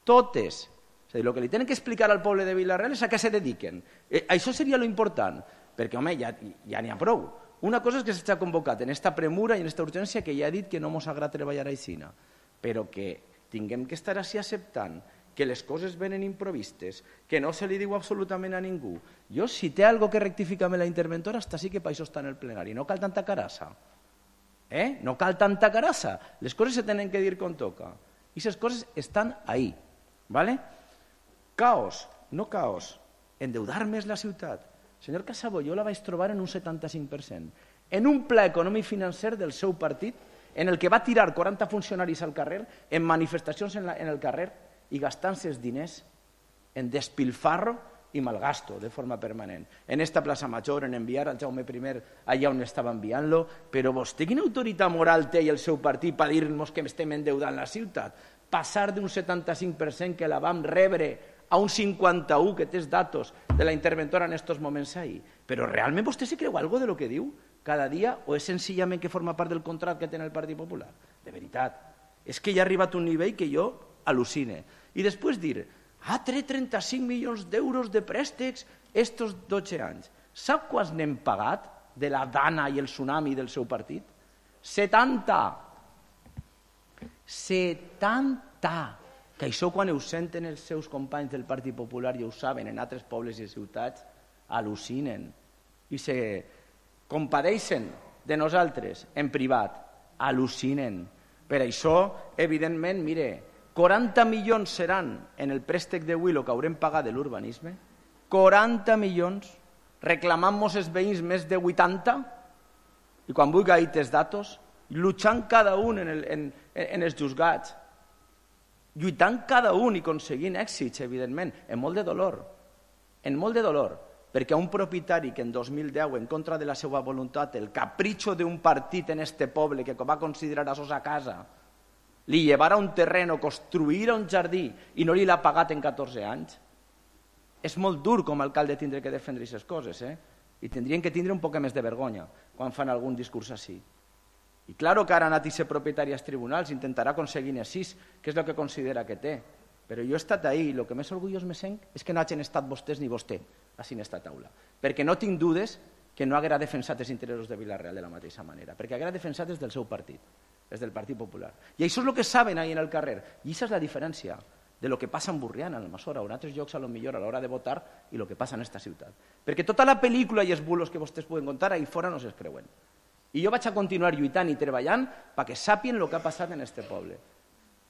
Totes. És a dir, el que li tenen que explicar al poble de Vila-real és a què se dediquen. Eh, això seria lo important, perquè, home, ja ja n'hi ha prou. Una cosa és que s'ha convocat en esta premura i en esta urgència que ja ha dit que no mos agrada treballar aixina, però que tinguem que estar així acceptant que les coses venen improvistes, que no se li diu absolutament a ningú. Jo, si té algo que rectificar amb la interventora, hasta sí que per això està en el plenari. No cal tanta carassa. Eh? No cal tanta carassa. Les coses se tenen que dir com toca. I aquestes coses estan ahí. ¿Vale? Caos, no caos. Endeudar més la ciutat. Senyor Casabó, jo la vaig trobar en un setanta-cinc per cent. En un pla econòmic financer del seu partit, en el que va tirar quaranta funcionaris al carrer, en manifestacions en, la, en el carrer, i gastant-se els diners en despilfarro i malgasto de forma permanent. En esta plaça Major, en enviar al Jaume I allà on estava enviant-lo, però vostè quina autoritat moral té i el seu partit per dir-nos que estem endeudant la ciutat? Passar d'un setanta-cinc per cent que la vam rebre a un cinquanta-u, que té els datos de la interventora en aquests moments ahir. Però realment vostè se creu alguna cosa de lo que diu cada dia o és senzillament que forma part del contracte que té el Partit Popular? De veritat. És que ja ha arribat un nivell que jo al·lucine. I després dir, ha tret trenta-cinc milions d'euros de préstecs estos dotze anys. Sap quants n'hem pagat de la Dana i el tsunami del seu partit? setanta. setanta. Que això quan ho senten els seus companys del Partit Popular i ho saben en altres pobles i ciutats, al·lucinen i se compadeixen de nosaltres en privat, al·lucinen. Per això, evidentment, mire, quaranta milions seran en el préstec d'avui el que haurem pagat de l'urbanisme, quaranta milions, reclamant-nos els veïns més de vuitanta, i quan vulgui ahir els datos, lluitant cada un en, el, en, en els juzgats, lluitant cada un i aconseguint èxits, evidentment, en molt de dolor, en molt de dolor, perquè a un propietari que en dos mil deu, en contra de la seva voluntat, el capritxo d'un partit en este poble que va considerar a sos a casa, li llevara un terreno, construïra un jardí i no li l'ha pagat en catorze anys, és molt dur com a alcalde tindre que defendre aquestes coses, eh? I tindrien que tindre un poc més de vergonya quan fan algun discurs així. I claro que ara ha anat a ser propietari als tribunals, intentarà aconseguir així, que és el que considera que té. Però jo he estat ahí i el que més orgullós me sent és que no hagin estat vostès ni vostè així en esta taula. Perquè no tinc dudes que no haguera defensat els interessos de Vila-real de la mateixa manera, perquè haguera defensat des del seu partit, des del Partit Popular. I això és el que saben ahí en el carrer. I aquesta és la diferència de lo que passa en Burriana, en Almassora, o en altres llocs a lo millor a l'hora de votar i el que passa en esta ciutat. Perquè tota la pel·lícula i els bulos que vostès poden contar ahí fora no se'ls creuen. I jo vaig a continuar lluitant i treballant perquè sàpien el que ha passat en este poble.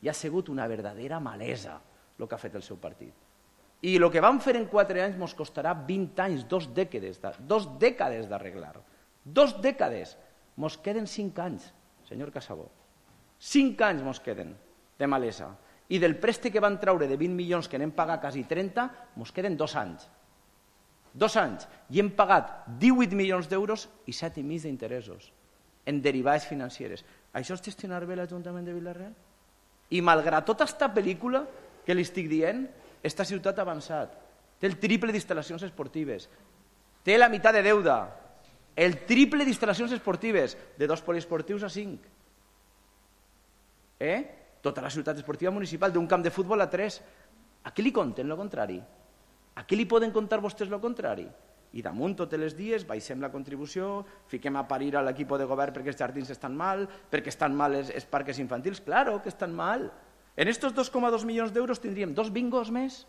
I ha sigut una verdadera malesa el que ha fet el seu partit. I el que vam fer en quatre anys ens costarà vint anys, dos dècades, dos dècades d'arreglar. Dos dècades. Ens queden cinc anys, senyor Casabó. Cinc anys ens queden de malesa. I del préstec que van treure de vint milions que n'hem pagat quasi trenta, ens queden dos anys. Dos anys, i hem pagat divuit milions d'euros i set i mig d'interessos en derivades financeres. Això és gestionar bé l'Ajuntament de Vila-real? I malgrat tota aquesta pel·lícula que li estic dient, esta ciutat ha avançat. Té el triple d'instal·lacions esportives, té la meitat de deuda, El triple d'instal·lacions esportives, de dos poliesportius a cinc. Eh? Tota la ciutat esportiva municipal, d'un camp de futbol a tres. A qui li conten lo contrari? A qui li poden contar vostès lo contrari? I damunt tots els dies baixem la contribució, fiquem a parir a l'equip de govern perquè els jardins estan mal, perquè estan mal els, els parques infantils. Claro que estan mal. En estos dos coma dos milions d'euros tindríem dos bingos més.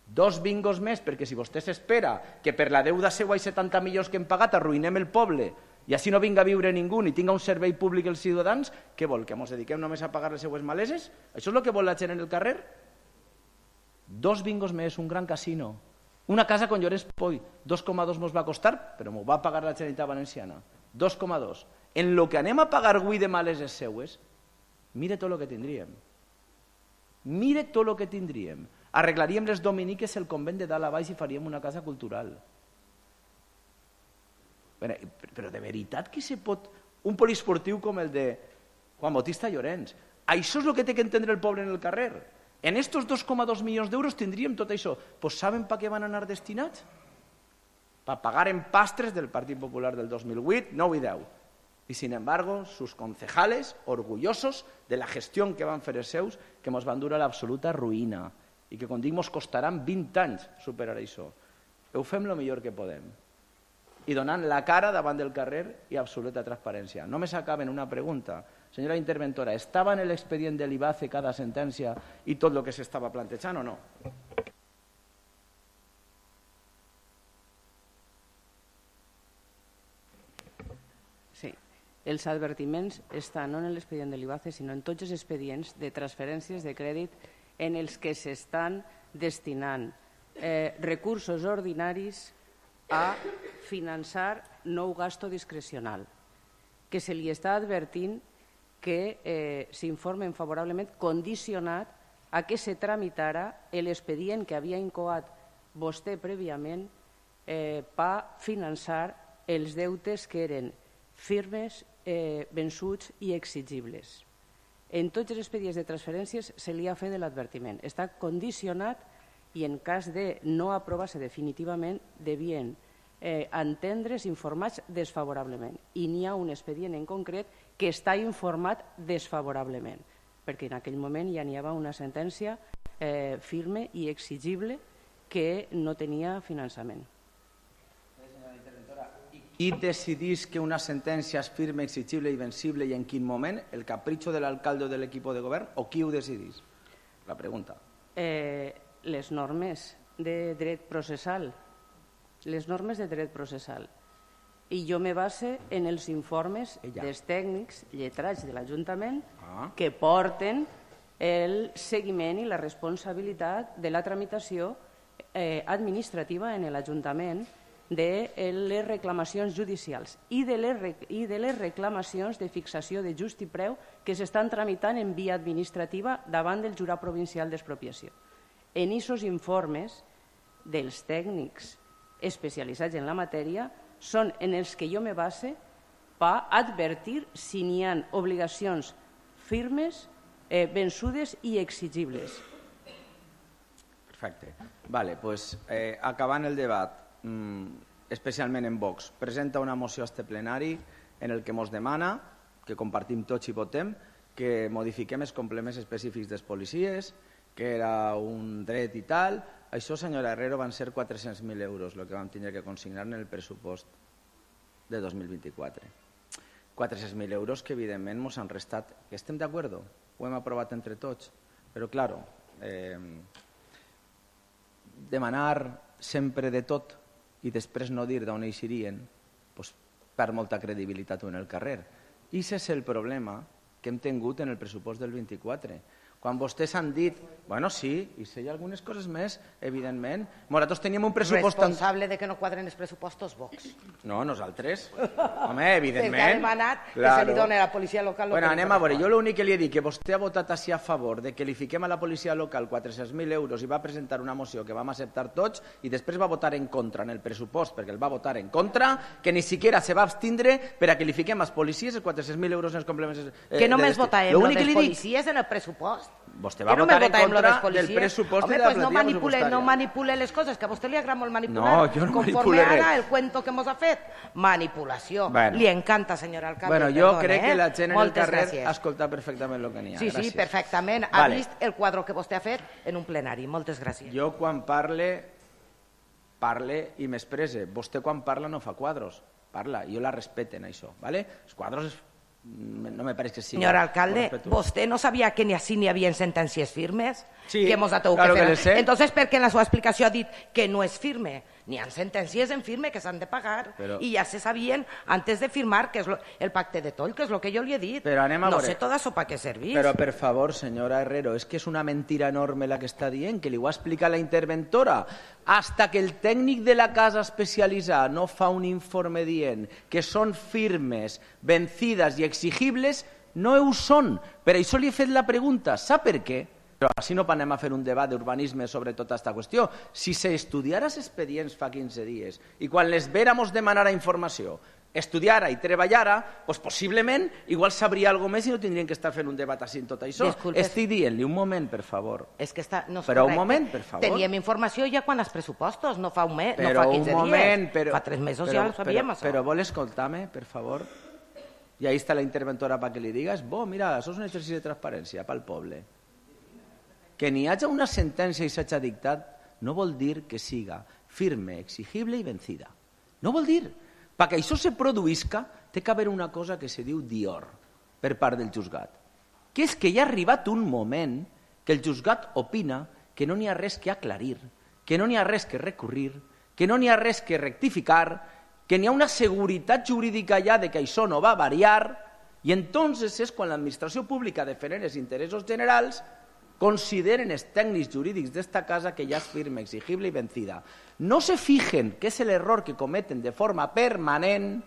Dos bingos més, perquè si vostè s'espera que per la deuda seua i setanta milions que hem pagat arruïnem el poble i així no vinga a viure ningú ni tinga un servei públic els ciutadans, què vol? Que ens dediquem només a pagar les seues maleses? Això és el que vol la gent en el carrer? Dos bingos més, un gran casino. Una casa con Llorenç Poi, dos coma dos mos va costar, però m'ho va pagar la Generalitat Valenciana. dos coma dos. En lo que anem a pagar avui de maleses seues, mire tot el que tindríem. Mire tot el que tindríem. Arreglaríem les dominiques el convent de dalt a baix i faríem una casa cultural. Però de veritat que se pot... Un poliesportiu com el de Juan Bautista Llorenç. Això és el que té que entendre el poble en el carrer. En estos dos coma dos milions d'euros tindríem tot això. Pues ¿saben per què van anar destinats? Per pagar empastres del Partit Popular del dos mil vuit, nou i deu. Y sin embargo, sus concejales, orgullosos de la gestió que van fer els seus, que ens van dur a l'absoluta ruïna i que, com dic, ens costaran vint anys superar això. Ho fem el millor que podem. I donant la cara davant del carrer i absoluta transparència. Només acaben una pregunta. Senyora interventora, ¿estava en l'expedient de l'I B A C E cada sentència i tot el que s'estava plantejant o no? Sí. Els advertiments estan no en l'expedient de l'I B A C E, sinó en tots els expedients de transferències de crèdit en els que s'estan destinant eh, recursos ordinaris a finançar nou gasto discrecional, que se li està advertint que eh, s'informen favorablement condicionat a que se tramitara l'expedient que havia incoat vostè prèviament eh, per finançar els deutes que eren firmes, eh, vençuts i exigibles. En tots els expedients de transferències se li ha fet l'advertiment. Està condicionat i en cas de no aprovar-se definitivament devien eh, entendre's informats desfavorablement. I n'hi ha un expedient en concret que està informat desfavorablement, perquè en aquell moment ja n'hi havia una sentència eh, firme i exigible que no tenia finançament. Qui decidís que una sentència és firme, exigible i vencible i en quin moment? El capritxo de l'alcalde o de l'equip de govern? O qui ho decidís? La pregunta. Eh, les normes de dret processal. Les normes de dret processal. I jo me base en els informes Ella. dels tècnics lletrats de l'Ajuntament ah. que porten el seguiment i la responsabilitat de la tramitació eh, administrativa en l'Ajuntament de les reclamacions judicials i de les, i de les reclamacions de fixació de just i preu que s'estan tramitant en via administrativa davant del Jurat Provincial d'Expropiació. En aquests informes dels tècnics especialitzats en la matèria són en els que jo me base per advertir si n'hi ha obligacions firmes, eh, vençudes i exigibles. Perfecte. Vale, pues, eh, acabant el debat, especialment en Vox, presenta una moció a este plenari en el que ens demana, que compartim tots i votem, que modifiquem els complements específics dels policies, que era un dret i tal. Això, senyora Herrero, van ser quatre-cents mil euros el que vam tenir que consignar en el pressupost de dos mil vint-i-quatre. quatre-cents mil euros que, evidentment, ens han restat. Que estem d'acord? Ho hem aprovat entre tots. Però, clar, eh, demanar sempre de tot i després no dir d'on eixirien, doncs perd molta credibilitat en el carrer. I aquest és el problema que hem tingut en el pressupost del vint-i-quatre. Quan vostès han dit, bueno, sí, i si hi ha algunes coses més, evidentment. Nosaltres teníem un pressupost... Responsable de que no quadren els pressupostos, Vox. No, nosaltres. Home, evidentment. El que ha demanat que se li doni a la policia local... Bueno, anem a veure, jo l'únic que li he dit que vostè ha votat així a favor de que li fiquem a la policia local quatre-cents mil euros i va presentar una moció que vam acceptar tots i després va votar en contra en el pressupost perquè el va votar en contra, que ni siquiera se va abstindre per a que li fiquem als policies els quatre-cents mil euros en els complements... Que només votarem lo dels policies en el pressupost. vostè va votar en contra del pressupost Home, de la pues no plantilla manipule, pressupostària. no manipule les coses, que a vostè li agrada molt manipular. No, jo no Conforme manipule ara res. el cuento que mos ha fet, manipulació. Bueno. Li encanta, senyor alcalde. Bueno, jo perdone, crec eh? que la gent en el Moltes carrer gràcies. ha escoltat perfectament el que n'hi ha. Sí, sí, Gràcies. perfectament. Ha Vale. vist el quadre que vostè ha fet en un plenari. Moltes gràcies. Jo quan parle, parle i m'expresse. Vostè quan parla no fa quadros, parla. Jo la respeten, això. ¿vale? Els quadros es- no me pareix que sigui. Senyor alcalde, ¿vostè no sabia que ni així n'hi havia sentències firmes? Sí, que hemos atado claro que que fer. les sé. Entonces, per què en la seva explicació ha dit que no és firme? N'hi ha sentències en firme que s'han de pagar Però- i ja se sabien antes de firmar que és lo, el pacte de Toll, que és el que jo li he dit. Però anem a no veure. sé tot això per què servís. Però, per favor, senyora Herrero, és que és una mentira enorme la que està dient, que li ho ha explicat la interventora. Hasta que el tècnic de la casa especialitzada no fa un informe dient que són firmes, vencides i exigibles, no ho són. Per això li he fet la pregunta. Sap per què? Però així no anem a fer un debat d'urbanisme sobre tota aquesta qüestió. Si s'estudiara els expedients fa quinze dies i quan les véramos demanar informació, estudiara i treballara, doncs possiblement igual sabria alguna més i no tindrien que estar fent un debat així en tot això. Disculpes. Estic dient-li, un moment, per favor. És que està, no és Però un correcte. moment, per favor. Teníem informació ja quan els pressupostos, no fa un mes, Però no fa quinze un moment, dies. però, fa tres mesos però, ja ho sabíem, però, això. Però vol escoltar-me, per favor? I ahí està la interventora perquè li digues, bo, mira, això és un exercici de transparència pel poble. Que n'hi hagi una sentència i s'hagi dictat no vol dir que siga firme, exigible i vencida. No vol dir. Perquè això se produïsca, té que haver una cosa que se diu dior per part del juzgat, que és que ja ha arribat un moment que el juzgat opina que no n'hi ha res que aclarir, que no n'hi ha res que recurrir, que no n'hi ha res que rectificar, que n'hi ha una seguretat jurídica ja de que això no va variar, i entonces és quan l'administració pública defenent els interessos generals consideren els tècnics jurídics d'esta casa que ja és firme, exigible i vencida. No se fijen que és l'error que cometen de forma permanent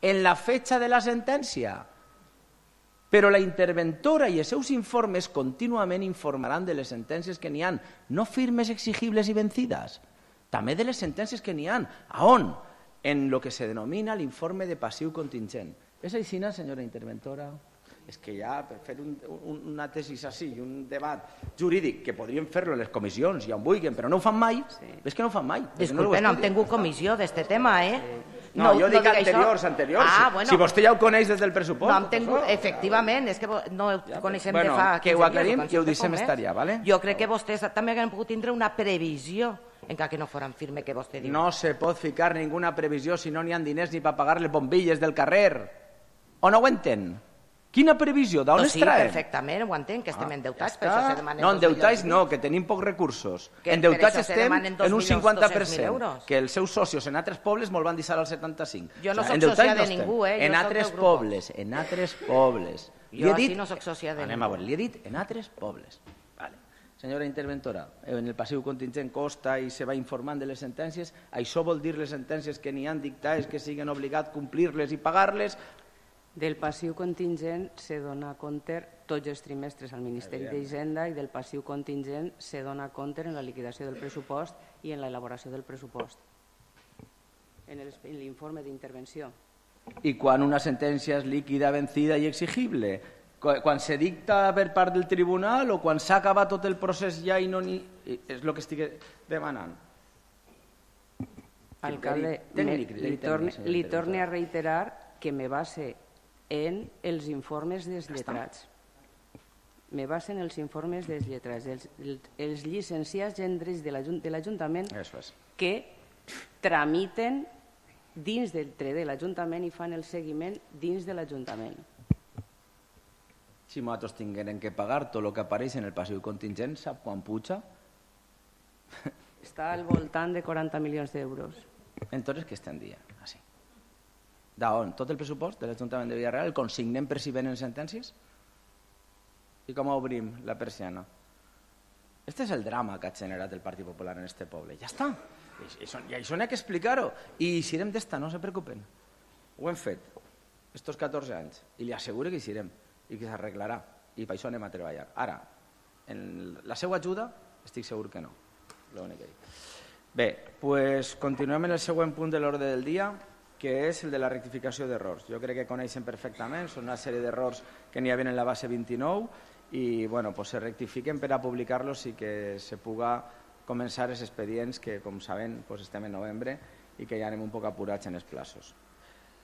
en la fecha de la sentència. Però la interventora i els seus informes contínuament informaran de les sentències que n'hi ha, no firmes, exigibles i vencides, també de les sentències que n'hi ha. A on? En lo que se denomina l'informe de passiu contingent. És així, senyora interventora? És que ja per fer un, un, una tesis així i un debat jurídic que podrien fer-lo en les comissions i on vulguin, però no ho fan mai, sí. És que no ho fan mai. Disculpe, no, no hem tingut comissió d'este tema, eh? No, no jo dic diga anteriors, això. anteriors. Ah, si, bueno. si vostè ja ho coneix des del pressupost. No hem tingut, efectivament, és que no ho coneixem bueno, de fa que ho aclarim dies, i ho deixem estar ja, ¿vale? Jo crec que vostès també haguem pogut tindre una previsió encara que no foran firme que vostè diu. No se pot ficar ninguna previsió si no n'hi ha diners ni per pagar les bombilles del carrer. O no ho entén? Quina previsió? D'on no, es sí, traen? perfectament, ho entenc, que estem Ah, endeutats, ja per això està. se demanen No, dos endeutats milions. no, que tenim pocs recursos. Que Endeutats per això se estem demanen dos en un milions cinquanta per dos-cents mil cent, euros. que els seus socios en altres pobles molt van deixar al setanta-cinc. Jo no O soc endeutats sòcia de estem. ningú, eh? Jo En soc altres del grup. pobles, en altres pobles. Li Jo he així dit- no soc sòcia de Anem ningú. a veure, li he dit en altres pobles. Vale. Senyora interventora, en el passiu contingent costa i se va informant de les sentències. Això vol dir les sentències que n'hi han dictades que siguin obligats a complir-les i pagar-les. Del passiu contingent se dona compte tots els trimestres al Ministeri d'Hisenda i del passiu contingent se dona compte en la liquidació del pressupost i en l'elaboració del pressupost, en el- en l'informe d'intervenció. I quan una sentència és líquida, vencida i exigible? Qu- Quan se dicta per part del tribunal o quan s'ha acabat tot el procés ja i no n'hi... És el que estic demanant. Alcalde, Criteri me- tècnic, criteri li, torne, tècnic, senyora li torne a interventora. reiterar que me base en els informes dels lletrats. Me base en els informes dels lletrats, els, els, els llicenciats en drets de l'Ajun- de l'Ajuntament Això és. que tramiten dins del tre de l'Ajuntament i fan el seguiment dins de l'Ajuntament. Si nosaltres tinguem que pagar tot el que apareix en el passiu contingent, sap quan puja? Està al voltant de quaranta milions d'euros. Entonces, què estem dient? Així. D'on? Tot el pressupost de l'Ajuntament de Villarreal el consignem per si venen sentències? I com obrim la persiana? Este és el drama que ha generat el Partit Popular en este poble. Ja està. I això, i això n'hi ha que explicar-ho. I eixirem d'esta, no se preocupen. Ho hem fet estos catorze anys. I li asseguro que eixirem i que s'arreglarà. I per això anem a treballar. Ara, en la seva ajuda, estic segur que no. L'únic que dic. Bé, pues continuem en el següent punt de l'ordre del dia, que és el de la rectificació d'errors. Jo crec que coneixen perfectament, són una sèrie d'errors que n'hi havia en la base vint-i-nou i bueno, pues se rectifiquen per a publicar-los i que se puga començar els expedients que, com saben, pues estem en novembre i que ja anem un poc apurats en els plaços.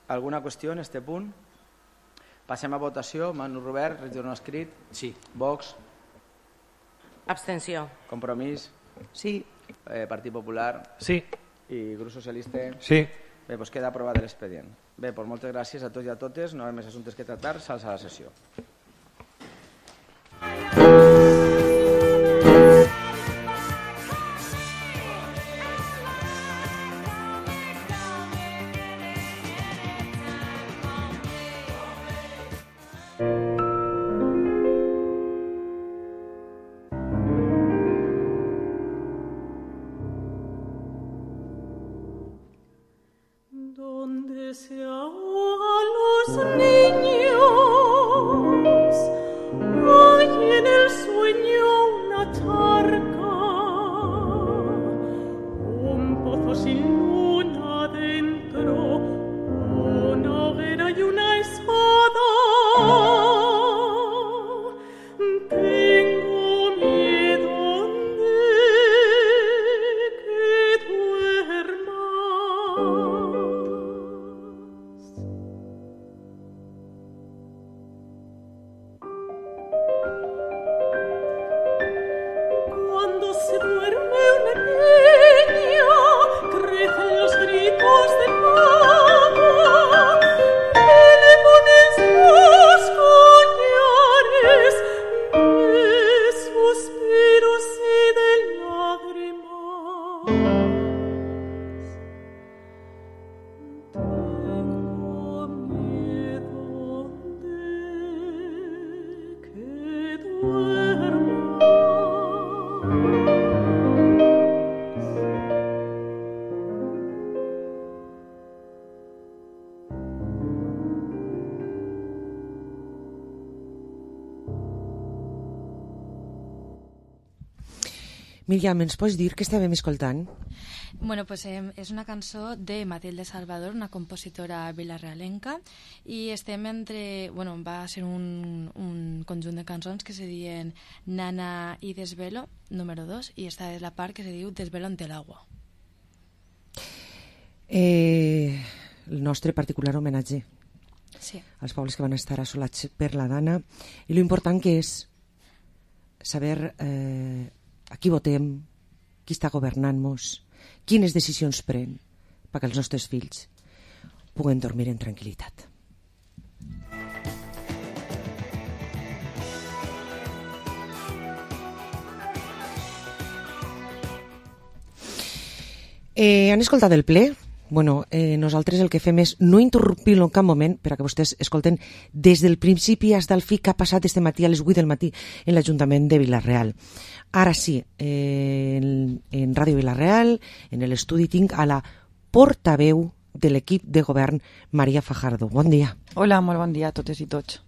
Alguna qüestió en este punt? Passem a votació. Manu Robert, regidor no escrit. Sí. Vox. Abstenció. Compromís. Sí. Eh, Partit Popular. Sí. I Grup Socialista. Sí. Bé, doncs queda aprovat l'expedient. Bé, doncs moltes gràcies a tots i a totes. No hi ha més assumptes que tractar. S'alça la sessió. Donde se ahogan los niños, hay en el sueño una charca, un pozo sin luna dentro, una hoguera y una espada. Tengo miedo de que duermas. Cuando se duerme una niña, crecen los gritos de mamá, que le ponen sus collares de suspiros y de lágrimas. Tengo miedo de que duermas. Míriam, ens pots dir què estàvem escoltant? Bueno, pues eh, és una cançó de Matilde Salvador, una compositora vilarrealenca, i estem entre... Bueno, va ser un, un conjunt de cançons que se diuen Nana i Desvelo, número dos, i esta és la part que se diu Desvelo ante l'agua. Eh, el nostre particular homenatge Sí. als pobles que van estar assolats per la Dana, i lo important que és saber eh, a qui votem, qui està governant-nos, quines decisions pren perquè els nostres fills puguen dormir en tranquil·litat. Eh, han escoltat el ple? Bueno, eh, nosaltres el que fem és no interrompir-lo en cap moment per a que vostès escolten des del principi fins al fi que ha passat este matí a les vuit del matí en l'Ajuntament de Vila-real. Ara sí, eh, en, en Ràdio Vila-real, en l'estudi, tinc a la portaveu de l'equip de govern, Maria Fajardo. Bon dia. Hola, molt bon dia a totes i tots.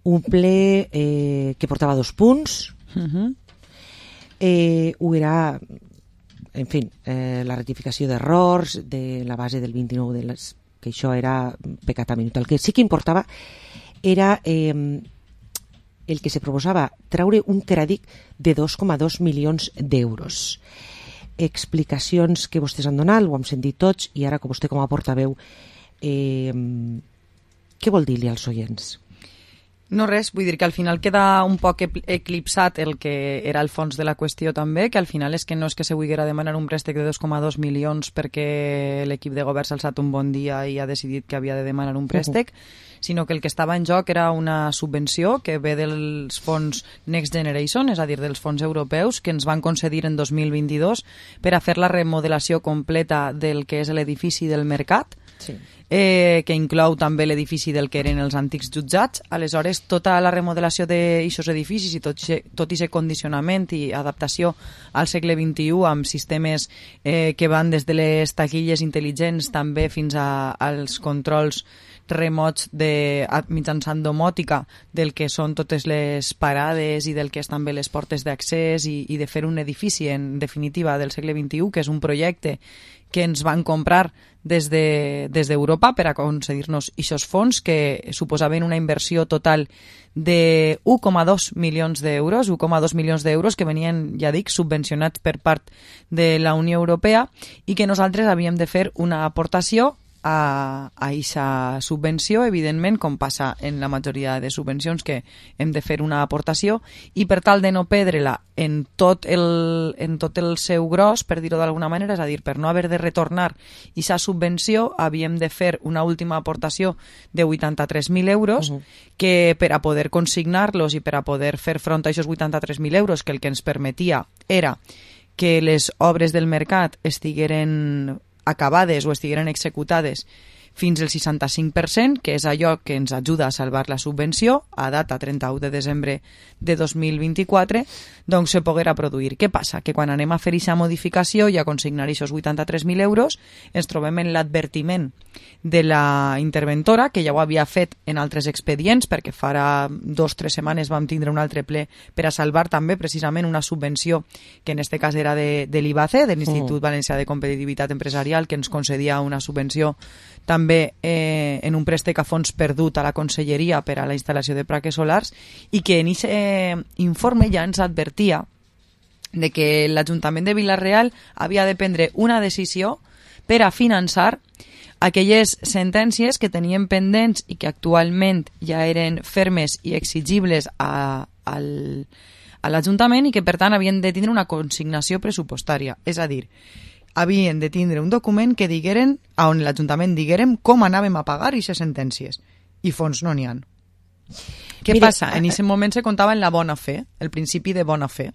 Un ple eh, que portava dos punts. Uh-huh. Eh, ho era... En fi, eh, la ratificació d'errors de la base del vint-i-nou de les, que això era pecat a minut. El que sí que importava era eh, el que se proposava treure un crèdit de dos coma dos milions d'euros. Explicacions que vostès han donat, ho hem sentit tots, i ara que vostè com a portaveu, eh, què vol dir-li als oients? No res, vull dir que al final queda un poc eclipsat el que era el fons de la qüestió també, que al final és que no és que se vulguera demanar un préstec de dos coma dos milions perquè l'equip de govern s'ha alçat un bon dia i ha decidit que havia de demanar un préstec, uh-huh. sinó que el que estava en joc era una subvenció que ve dels fons Next Generation, és a dir, dels fons europeus, que ens van concedir en dos mil vint-i-dos per a fer la remodelació completa del que és l'edifici del Mercat, sí. eh, que inclou també l'edifici del que eren els antics jutjats. Aleshores, tota la remodelació d'aquests edificis i tot i aquest condicionament i adaptació al segle vint-i-u amb sistemes eh, que van des de les taquilles intel·ligents també fins a, als controls remots de, mitjançant domòtica del que són totes les parades i del que estan bé les portes d'accés i, i de fer un edifici, en definitiva, del segle vint-i-u, que és un projecte que ens van comprar des de, des d'Europa per aconseguir-nos aquests fons que suposaven una inversió total de un coma dos milions d'euros, un coma dos milions d'euros que venien, ja dic, subvencionats per part de la Unió Europea i que nosaltres havíem de fer una aportació a aquesta subvenció, evidentment, com passa en la majoria de subvencions, que hem de fer una aportació, i per tal de no perdre-la en tot el, en tot el seu gros, per dir-ho d'alguna manera, és a dir, per no haver de retornar aquesta subvenció, havíem de fer una última aportació de vuitanta-tres mil euros, uh-huh. que per a poder consignar-los i per a poder fer front a aquests vuitanta-tres mil euros, que el que ens permetia era que les obres del mercat estigueren acabades o estigueren executades fins al seixanta-cinc per cent, que és allò que ens ajuda a salvar la subvenció, a data trenta-u de desembre de dos mil vint-i-quatre, doncs se poguera produir. Què passa? Que quan anem a fer aquesta modificació i a consignar aquests vuitanta-tres mil euros, ens trobem en l'advertiment de la interventora, que ja ho havia fet en altres expedients, perquè farà dos o tres setmanes vam tindre un altre ple per a salvar també precisament una subvenció que en este cas era de, de l'I B A C E, de l'Institut Valencià de Competitivitat Empresarial, que ens concedia una subvenció també eh, en un préstec a fons perdut a la Conselleria per a la instal·lació de plaques solars, i que en aquest eh, informe ja ens advertia de que l'Ajuntament de Vila-real havia de prendre una decisió per a finançar aquelles sentències que tenien pendents i que actualment ja eren fermes i exigibles a, al, a l'Ajuntament i que per tant havien de tindre una consignació pressupostària, és a dir, havien de tindre un document que digueren, on l'Ajuntament diguérem com anàvem a pagar aquestes sentències, i fons no n'hi ha. Què Mira, passa? En aquest moment se comptava en la bona fe, el principi de bona fe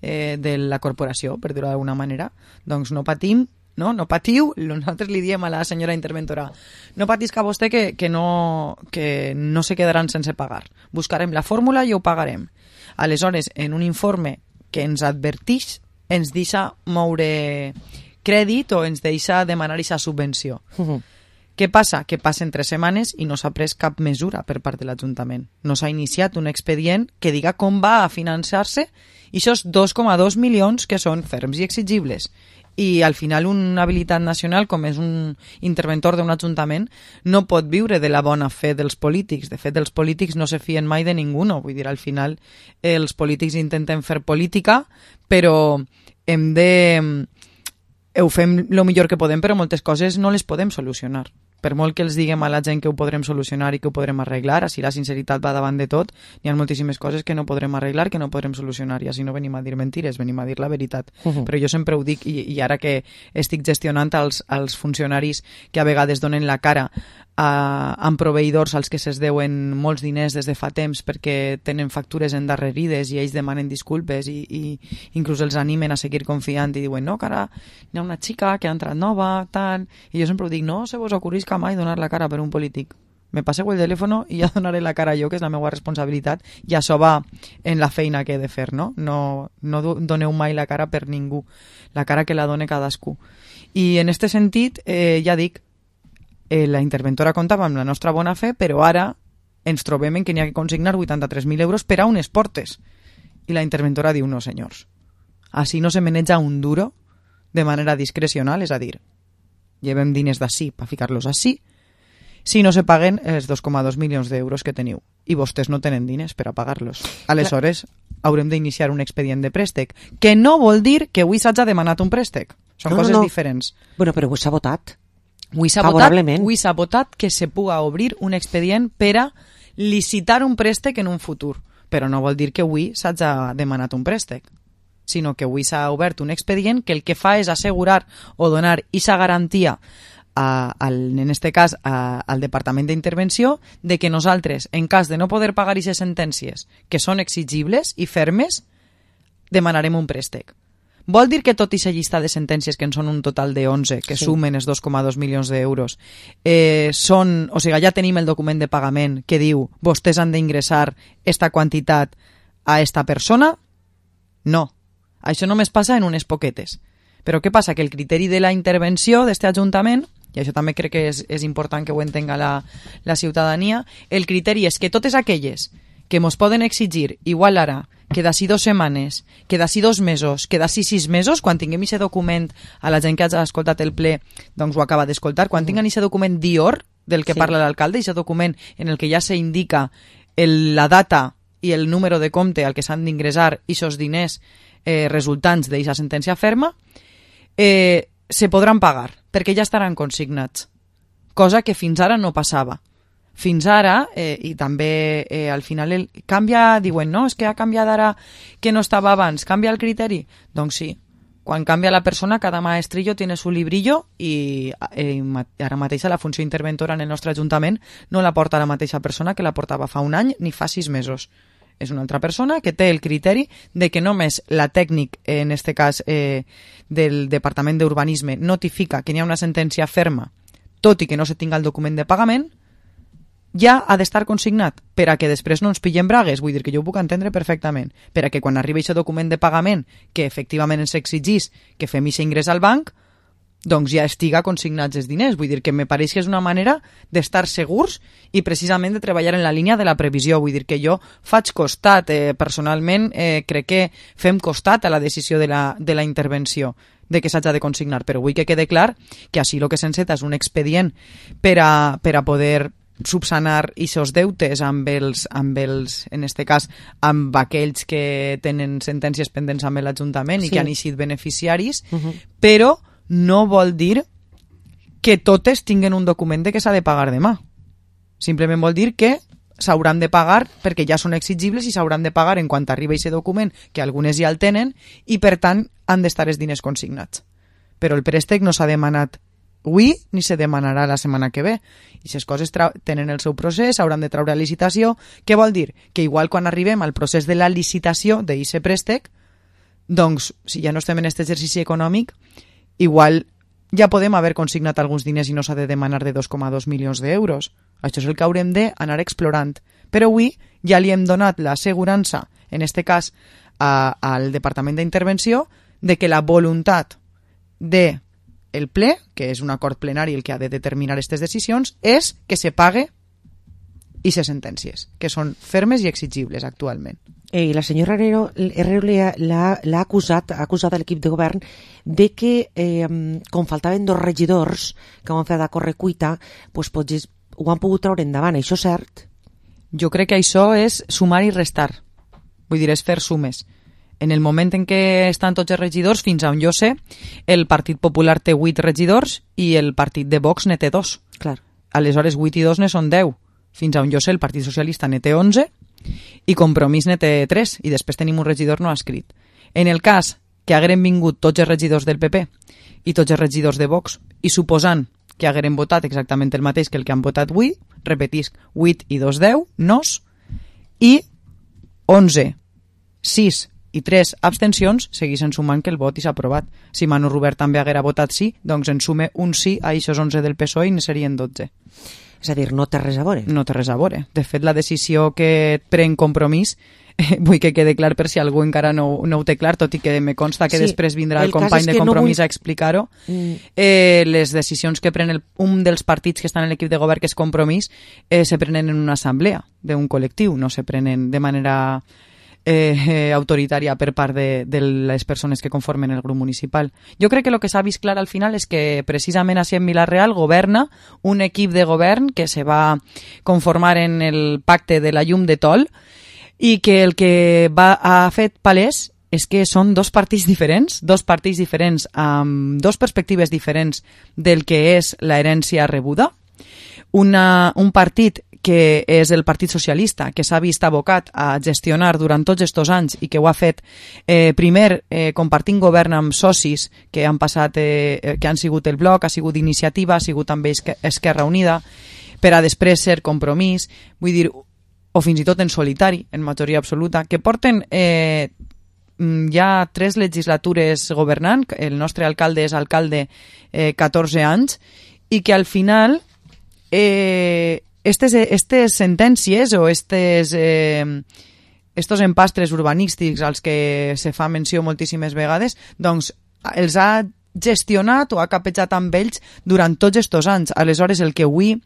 eh, de la corporació, per dir-ho d'alguna manera. Doncs no patim, no, no patiu, nosaltres li diem a la senyora interventora, no patisca vostè que, que, no, que no se quedaran sense pagar. Buscarem la fórmula i ho pagarem. Aleshores, en un informe que ens advertix, ens deixa moure crèdit o ens deixa demanar aquesta subvenció. Uh-huh. Què passa? Que passen tres setmanes i no s'ha pres cap mesura per part de l'Ajuntament. No s'ha iniciat un expedient que diga com va a finançar-se aquests dos coma dos milions que són ferms i exigibles. I al final un habilitat nacional, com és un interventor d'un ajuntament, no pot viure de la bona fe dels polítics. De fet, els polítics no se fien mai de ningú. Vull dir, al final els polítics intenten fer política, però hem de... ho fem el millor que podem, però moltes coses no les podem solucionar. Per molt que els diguem a la gent que ho podrem solucionar i que ho podrem arreglar, així la sinceritat va davant de tot, hi ha moltíssimes coses que no podrem arreglar, que no podrem solucionar, i així no venim a dir mentires, venim a dir la veritat. Uh-huh. Però jo sempre ho dic, i, i ara que estic gestionant els, els funcionaris que a vegades donen la cara a, amb proveïdors als que se'ls deuen molts diners des de fa temps perquè tenen factures endarrerides i ells demanen disculpes i, i inclús els animen a seguir confiant i diuen, no, que ara hi ha una xica que ha entrat nova, tal, i jo sempre ho dic, no se vos ocorrisca mai donar la cara per un polític. Me passeu el telèfon i ja donaré la cara jo, que és la meva responsabilitat, i això va en la feina que he de fer, no? No, no doneu mai la cara per ningú, la cara que la done cadascú. I en aquest sentit, eh, ja dic, eh, la interventora comptava amb la nostra bona fe, però ara ens trobem en que n'hi ha que consignar vuitanta-tres mil euros per a unes portes. I la interventora diu, no senyors, així no se maneja un duro de manera discrecional, és a dir, llevem diners d'ací per ficar-los així, si no se paguen els dos coma dos milions d'euros que teniu i vostès no tenen diners per a pagar-los. Aleshores, haurem d'iniciar un expedient de préstec, que no vol dir que avui s'hagi demanat un préstec. Són no, coses no, no. diferents. Bueno, però avui s'ha votat. Avui s'ha votat, avui s'ha votat que se puga obrir un expedient per a licitar un préstec en un futur. Però no vol dir que avui s'hagi demanat un préstec, sinó que avui s'ha obert un expedient que el que fa és assegurar o donar aquesta garantia A, al, en este cas a, al Departament d'Intervenció de que nosaltres, en cas de no poder pagar aquestes sentències que són exigibles i fermes, demanarem un préstec. Vol dir que tot aquesta llista de sentències, que en són un total de onze, que sí. sumen els dos coma dos milions d'euros, eh, són, o sigui, ja tenim el document de pagament que diu vostès han d'ingressar esta quantitat a esta persona? No. Això només passa en unes poquetes. Però què passa? Que el criteri de la intervenció d'aquest Ajuntament i això també crec que és, és important que ho entenga la, la ciutadania, el criteri és que totes aquelles que mos poden exigir, igual ara, que d'ací dos setmanes, que d'ací dos mesos, que d'ací sis mesos, quan tinguem aquest document, a la gent que ha escoltat el ple, doncs ho acaba d'escoltar, quan tinguem aquest document d'I O R, del que sí. parla l'alcalde, aquest document en el que ja s'indica el, la data i el número de compte al que s'han d'ingressar aquests diners eh, resultants d'aquesta sentència ferma, eh, se podran pagar, perquè ja estaran consignats, cosa que fins ara no passava. Fins ara, eh, i també eh, al final el, canvia, diuen, no, és que ha canviat ara que no estava abans, canvia el criteri? Doncs sí, quan canvia la persona, cada maestrillo tiene su librillo i eh, ara mateixa la funció interventora en el nostre Ajuntament no la porta la mateixa persona que la portava fa un any ni fa sis mesos. És una altra persona que té el criteri de que només la tècnic, en este cas eh, del Departament d'Urbanisme, notifica que n'hi ha una sentència ferma, tot i que no se tinga el document de pagament, ja ha d'estar consignat per a que després no ens pillem bragues. Vull dir que jo ho puc entendre perfectament. Per a que quan arribi aquest document de pagament, que efectivament ens exigís que fem aquest ingrés al banc, doncs ja estiga consignats els diners. Vull dir que me pareix que és una manera d'estar segurs i precisament de treballar en la línia de la previsió. Vull dir que jo faig costat, eh, personalment eh, crec que fem costat a la decisió de la, de la intervenció de que s'hagi de consignar, però vull que quede clar que així el que s'enceta és un expedient per a, per a poder subsanar aquests deutes amb els, amb els, en este cas, amb aquells que tenen sentències pendents amb l'Ajuntament sí. i que han eixit beneficiaris, uh-huh. però no vol dir que totes tinguen un document de que s'ha de pagar demà. Simplement vol dir que s'hauran de pagar perquè ja són exigibles i s'hauran de pagar en quant arriba aquest document, que algunes ja el tenen, i per tant han d'estar els diners consignats. Però el préstec no s'ha demanat avui ni se demanarà la setmana que ve. I aquestes coses tenen el seu procés, hauran de treure licitació. Què vol dir? Que igual quan arribem al procés de la licitació d'aquest préstec, doncs, si ja no estem en aquest exercici econòmic, igual ja podem haver consignat alguns diners i no s'ha de demanar de dos coma dos milions d'euros. Això és el que haurem d'anar explorant. Però avui ja li hem donat l'assegurança, en aquest cas a, al Departament d'Intervenció, de que la voluntat de el ple, que és un acord plenari el que ha de determinar aquestes decisions, és que se pague i se sentències, que són fermes i exigibles actualment. Eh, la senyora Herrero, Herrero l'ha acusat, ha acusat a l'equip de govern de que, eh, com faltaven dos regidors que van fer de correcuita, pues, potser ho han pogut treure endavant. Això és cert? Jo crec que això és sumar i restar. Vull dir, és fer sumes. En el moment en què estan tots els regidors, fins on jo sé, el Partit Popular té vuit regidors i el partit de Vox ne té dos. Clar. Aleshores, vuit i dos ne són deu. Fins on jo sé, el Partit Socialista ne té onze i Compromís ne té tres, i després tenim un regidor no escrit. En el cas que hagueren vingut tots els regidors del P P i tots els regidors de Vox, i suposant que hagueren votat exactament el mateix que el que han votat avui, repetisc, vuit i dos, deu, nos, i onze, sis i tres abstencions, segueixen sumant que el vot i s'ha aprovat. Si Manu Rubert també haguera votat sí, doncs en sume un sí a aquests onze del P S O E i ne serien dotze. És a dir, no té res a veure. No té res a veure. De fet, la decisió que pren Compromís, eh, vull que quede clar per si algú encara no, no ho té clar, tot i que me consta que sí, després vindrà el, el company de Compromís no vull... a explicar-ho. Mm. Eh, les decisions que pren el, un dels partits que estan en l'equip de govern, que és Compromís, eh, se prenen en una assemblea d'un col·lectiu, no se prenen de manera Eh, eh, autoritària per part de, de les persones que conformen el grup municipal. Jo crec que el que s'ha vist clar al final és que precisament així en Vila-real governa un equip de govern que se va conformar en el pacte de la llum de Tol i que el que va, ha fet palès és que són dos partits diferents, dos partits diferents amb dos perspectives diferents del que és la herència rebuda. Una, un partit que és el Partit Socialista, que s'ha vist abocat a gestionar durant tots aquests anys i que ho ha fet eh, primer eh, compartint govern amb socis que han passat, eh, que han sigut el Bloc, ha sigut Iniciativa, ha sigut també Esquerra Unida, per a després ser Compromís, vull dir, o fins i tot en solitari, en majoria absoluta, que porten eh, ja tres legislatures governant, el nostre alcalde és alcalde eh, catorze anys, i que al final eh, Estes, estes sentències o estes, eh, estos empastres urbanístics als que se fa menció moltíssimes vegades, doncs els ha gestionat o ha capejat amb ells durant tots estos anys. Aleshores, el que avui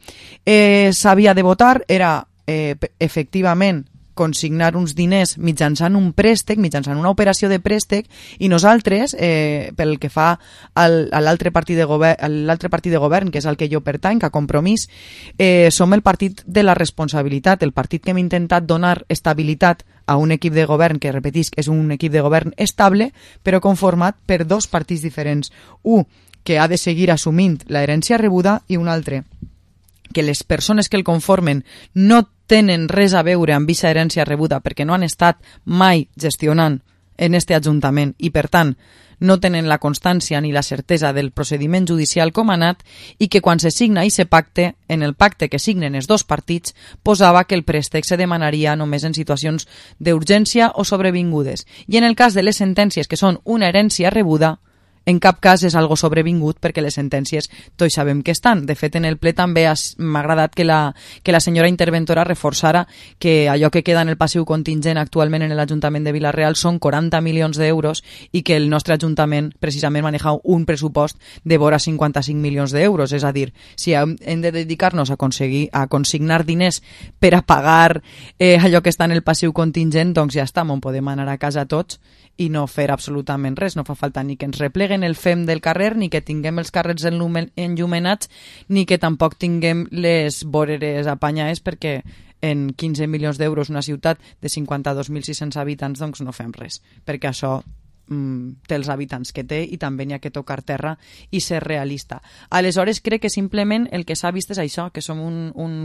eh, s'havia de votar era eh, efectivament consignar uns diners mitjançant un préstec, mitjançant una operació de préstec, i nosaltres, eh, pel que fa al, a l'altre partit de govern, l'altre partit de govern, que és el que jo pertany, que a Compromís, eh, som el partit de la responsabilitat, el partit que hem intentat donar estabilitat a un equip de govern que, repetisc, és un equip de govern estable, però conformat per dos partits diferents. Un, que ha de seguir assumint l'herència rebuda, i un altre, que les persones que el conformen no tenen res a veure amb aquesta herència rebuda perquè no han estat mai gestionant en este Ajuntament i, per tant, no tenen la constància ni la certesa del procediment judicial com ha anat, i que quan se signa i se pacte, en el pacte que signen els dos partits, posava que el préstec se demanaria només en situacions d'urgència o sobrevingudes. I en el cas de les sentències que són una herència rebuda, en cap cas és algo sobrevingut perquè les sentències tots sabem que estan. De fet, en el ple també m'ha agradat que la, que la senyora interventora reforçara que allò que queda en el passiu contingent actualment en l'Ajuntament de Vila-real són quaranta milions d'euros i que el nostre Ajuntament precisament maneja un pressupost de vora cinquanta-cinc milions d'euros. És a dir, si hem de dedicar-nos a, aconseguir, a consignar diners per a pagar eh, allò que està en el passiu contingent, doncs ja està, on podem anar a casa tots i no fer absolutament res. No fa falta ni que ens repleguen el fem del carrer, ni que tinguem els carrers enllumenats, ni que tampoc tinguem les voreres apanyades, perquè en quinze milions d'euros una ciutat de cinquanta-dos mil sis-cents habitants doncs no fem res, perquè això mm, té els habitants que té i també n'hi ha que tocar terra i ser realista. Aleshores crec que simplement el que s'ha vist és això, que som un, un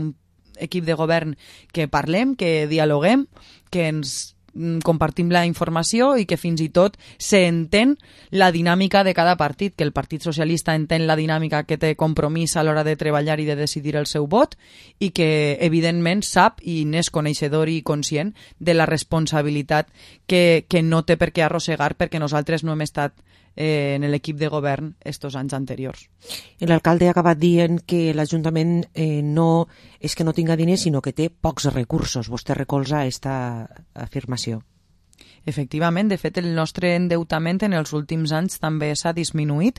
equip de govern que parlem, que dialoguem, que ens compartim la informació i que fins i tot s'entén la dinàmica de cada partit, que el Partit Socialista entén la dinàmica que té Compromís a l'hora de treballar i de decidir el seu vot, i que evidentment sap i n'és coneixedor i conscient de la responsabilitat que, que no té per què arrossegar perquè nosaltres no hem estat eh, en l'equip de govern estos anys anteriors. L'alcalde ha acabat dient que l'Ajuntament eh, no és que no tinga diners, sinó que té pocs recursos. Vostè recolza aquesta afirmació? Efectivament, de fet, el nostre endeutament en els últims anys també s'ha disminuït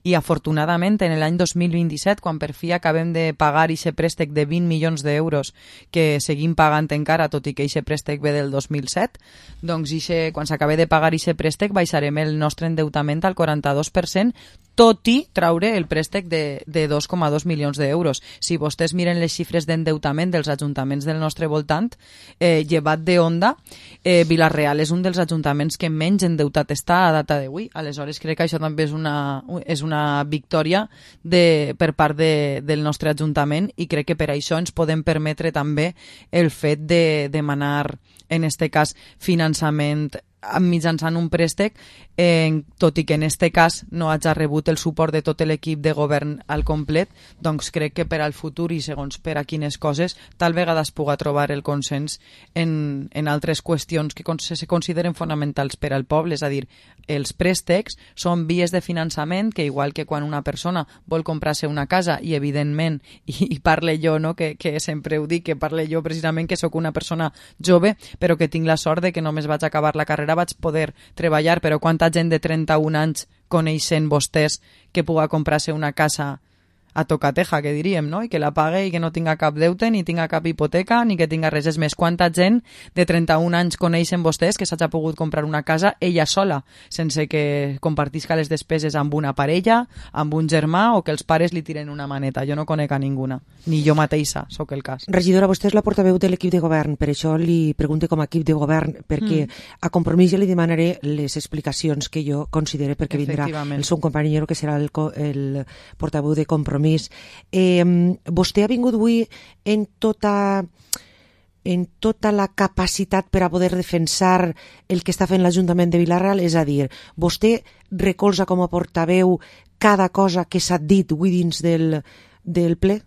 i, afortunadament, en l'any dos mil vint-i-set, quan per fi acabem de pagar aquest préstec de vint milions d'euros que seguim pagant encara, tot i que aquest préstec ve del dos mil set, doncs ixe, quan s'acabe de pagar aquest préstec baixarem el nostre endeutament al quaranta-dos per cent, tot i traure el préstec de, de dos coma dos milions d'euros. Si vostès miren les xifres d'endeutament dels ajuntaments del nostre voltant, eh, llevat de Onda, eh, Vila-real és un dels ajuntaments que menys endeutat està a data d'avui. Aleshores crec que això també és una, és una victòria de, per part de, del nostre ajuntament, i crec que per això ens podem permetre també el fet de demanar, en este cas, finançament mitjançant un préstec, eh, tot i que en este cas no hagi rebut el suport de tot l'equip de govern al complet, doncs crec que per al futur i segons per a quines coses tal vegada es puga trobar el consens en, en altres qüestions que se consideren fonamentals per al poble. És a dir, els préstecs són vies de finançament que, igual que quan una persona vol comprar-se una casa, i evidentment, i, i parle jo, no? que, que sempre ho dic, que parle jo precisament que sóc una persona jove, però que tinc la sort de que només vaig acabar la carrera, vaig poder treballar, però quanta gent de trenta-un anys coneixen vostès que puga comprar-se una casa a tocateja, que diríem, no? I que la pague i que no tinga cap deute, ni tinga cap hipoteca, ni que tinga res. És més, quanta gent de trenta-un anys coneixen vostès que s'hagi pogut comprar una casa ella sola, sense que compartisca les despeses amb una parella, amb un germà, o que els pares li tiren una maneta. Jo no conec a ninguna, ni jo mateixa sóc el cas. Regidora, vostè és la portaveu de l'equip de govern, per això li pregunto com a equip de govern, perquè mm. a Compromís ja li demanaré les explicacions que jo considere, perquè vindrà el seu companyero, que serà el, el portaveu de Compromís. Eh, vostè ha vingut avui en tota, en tota la capacitat per a poder defensar el que està fent l'Ajuntament de Vila-real, és a dir, vostè recolza com a portaveu cada cosa que s'ha dit avui dins del, del ple?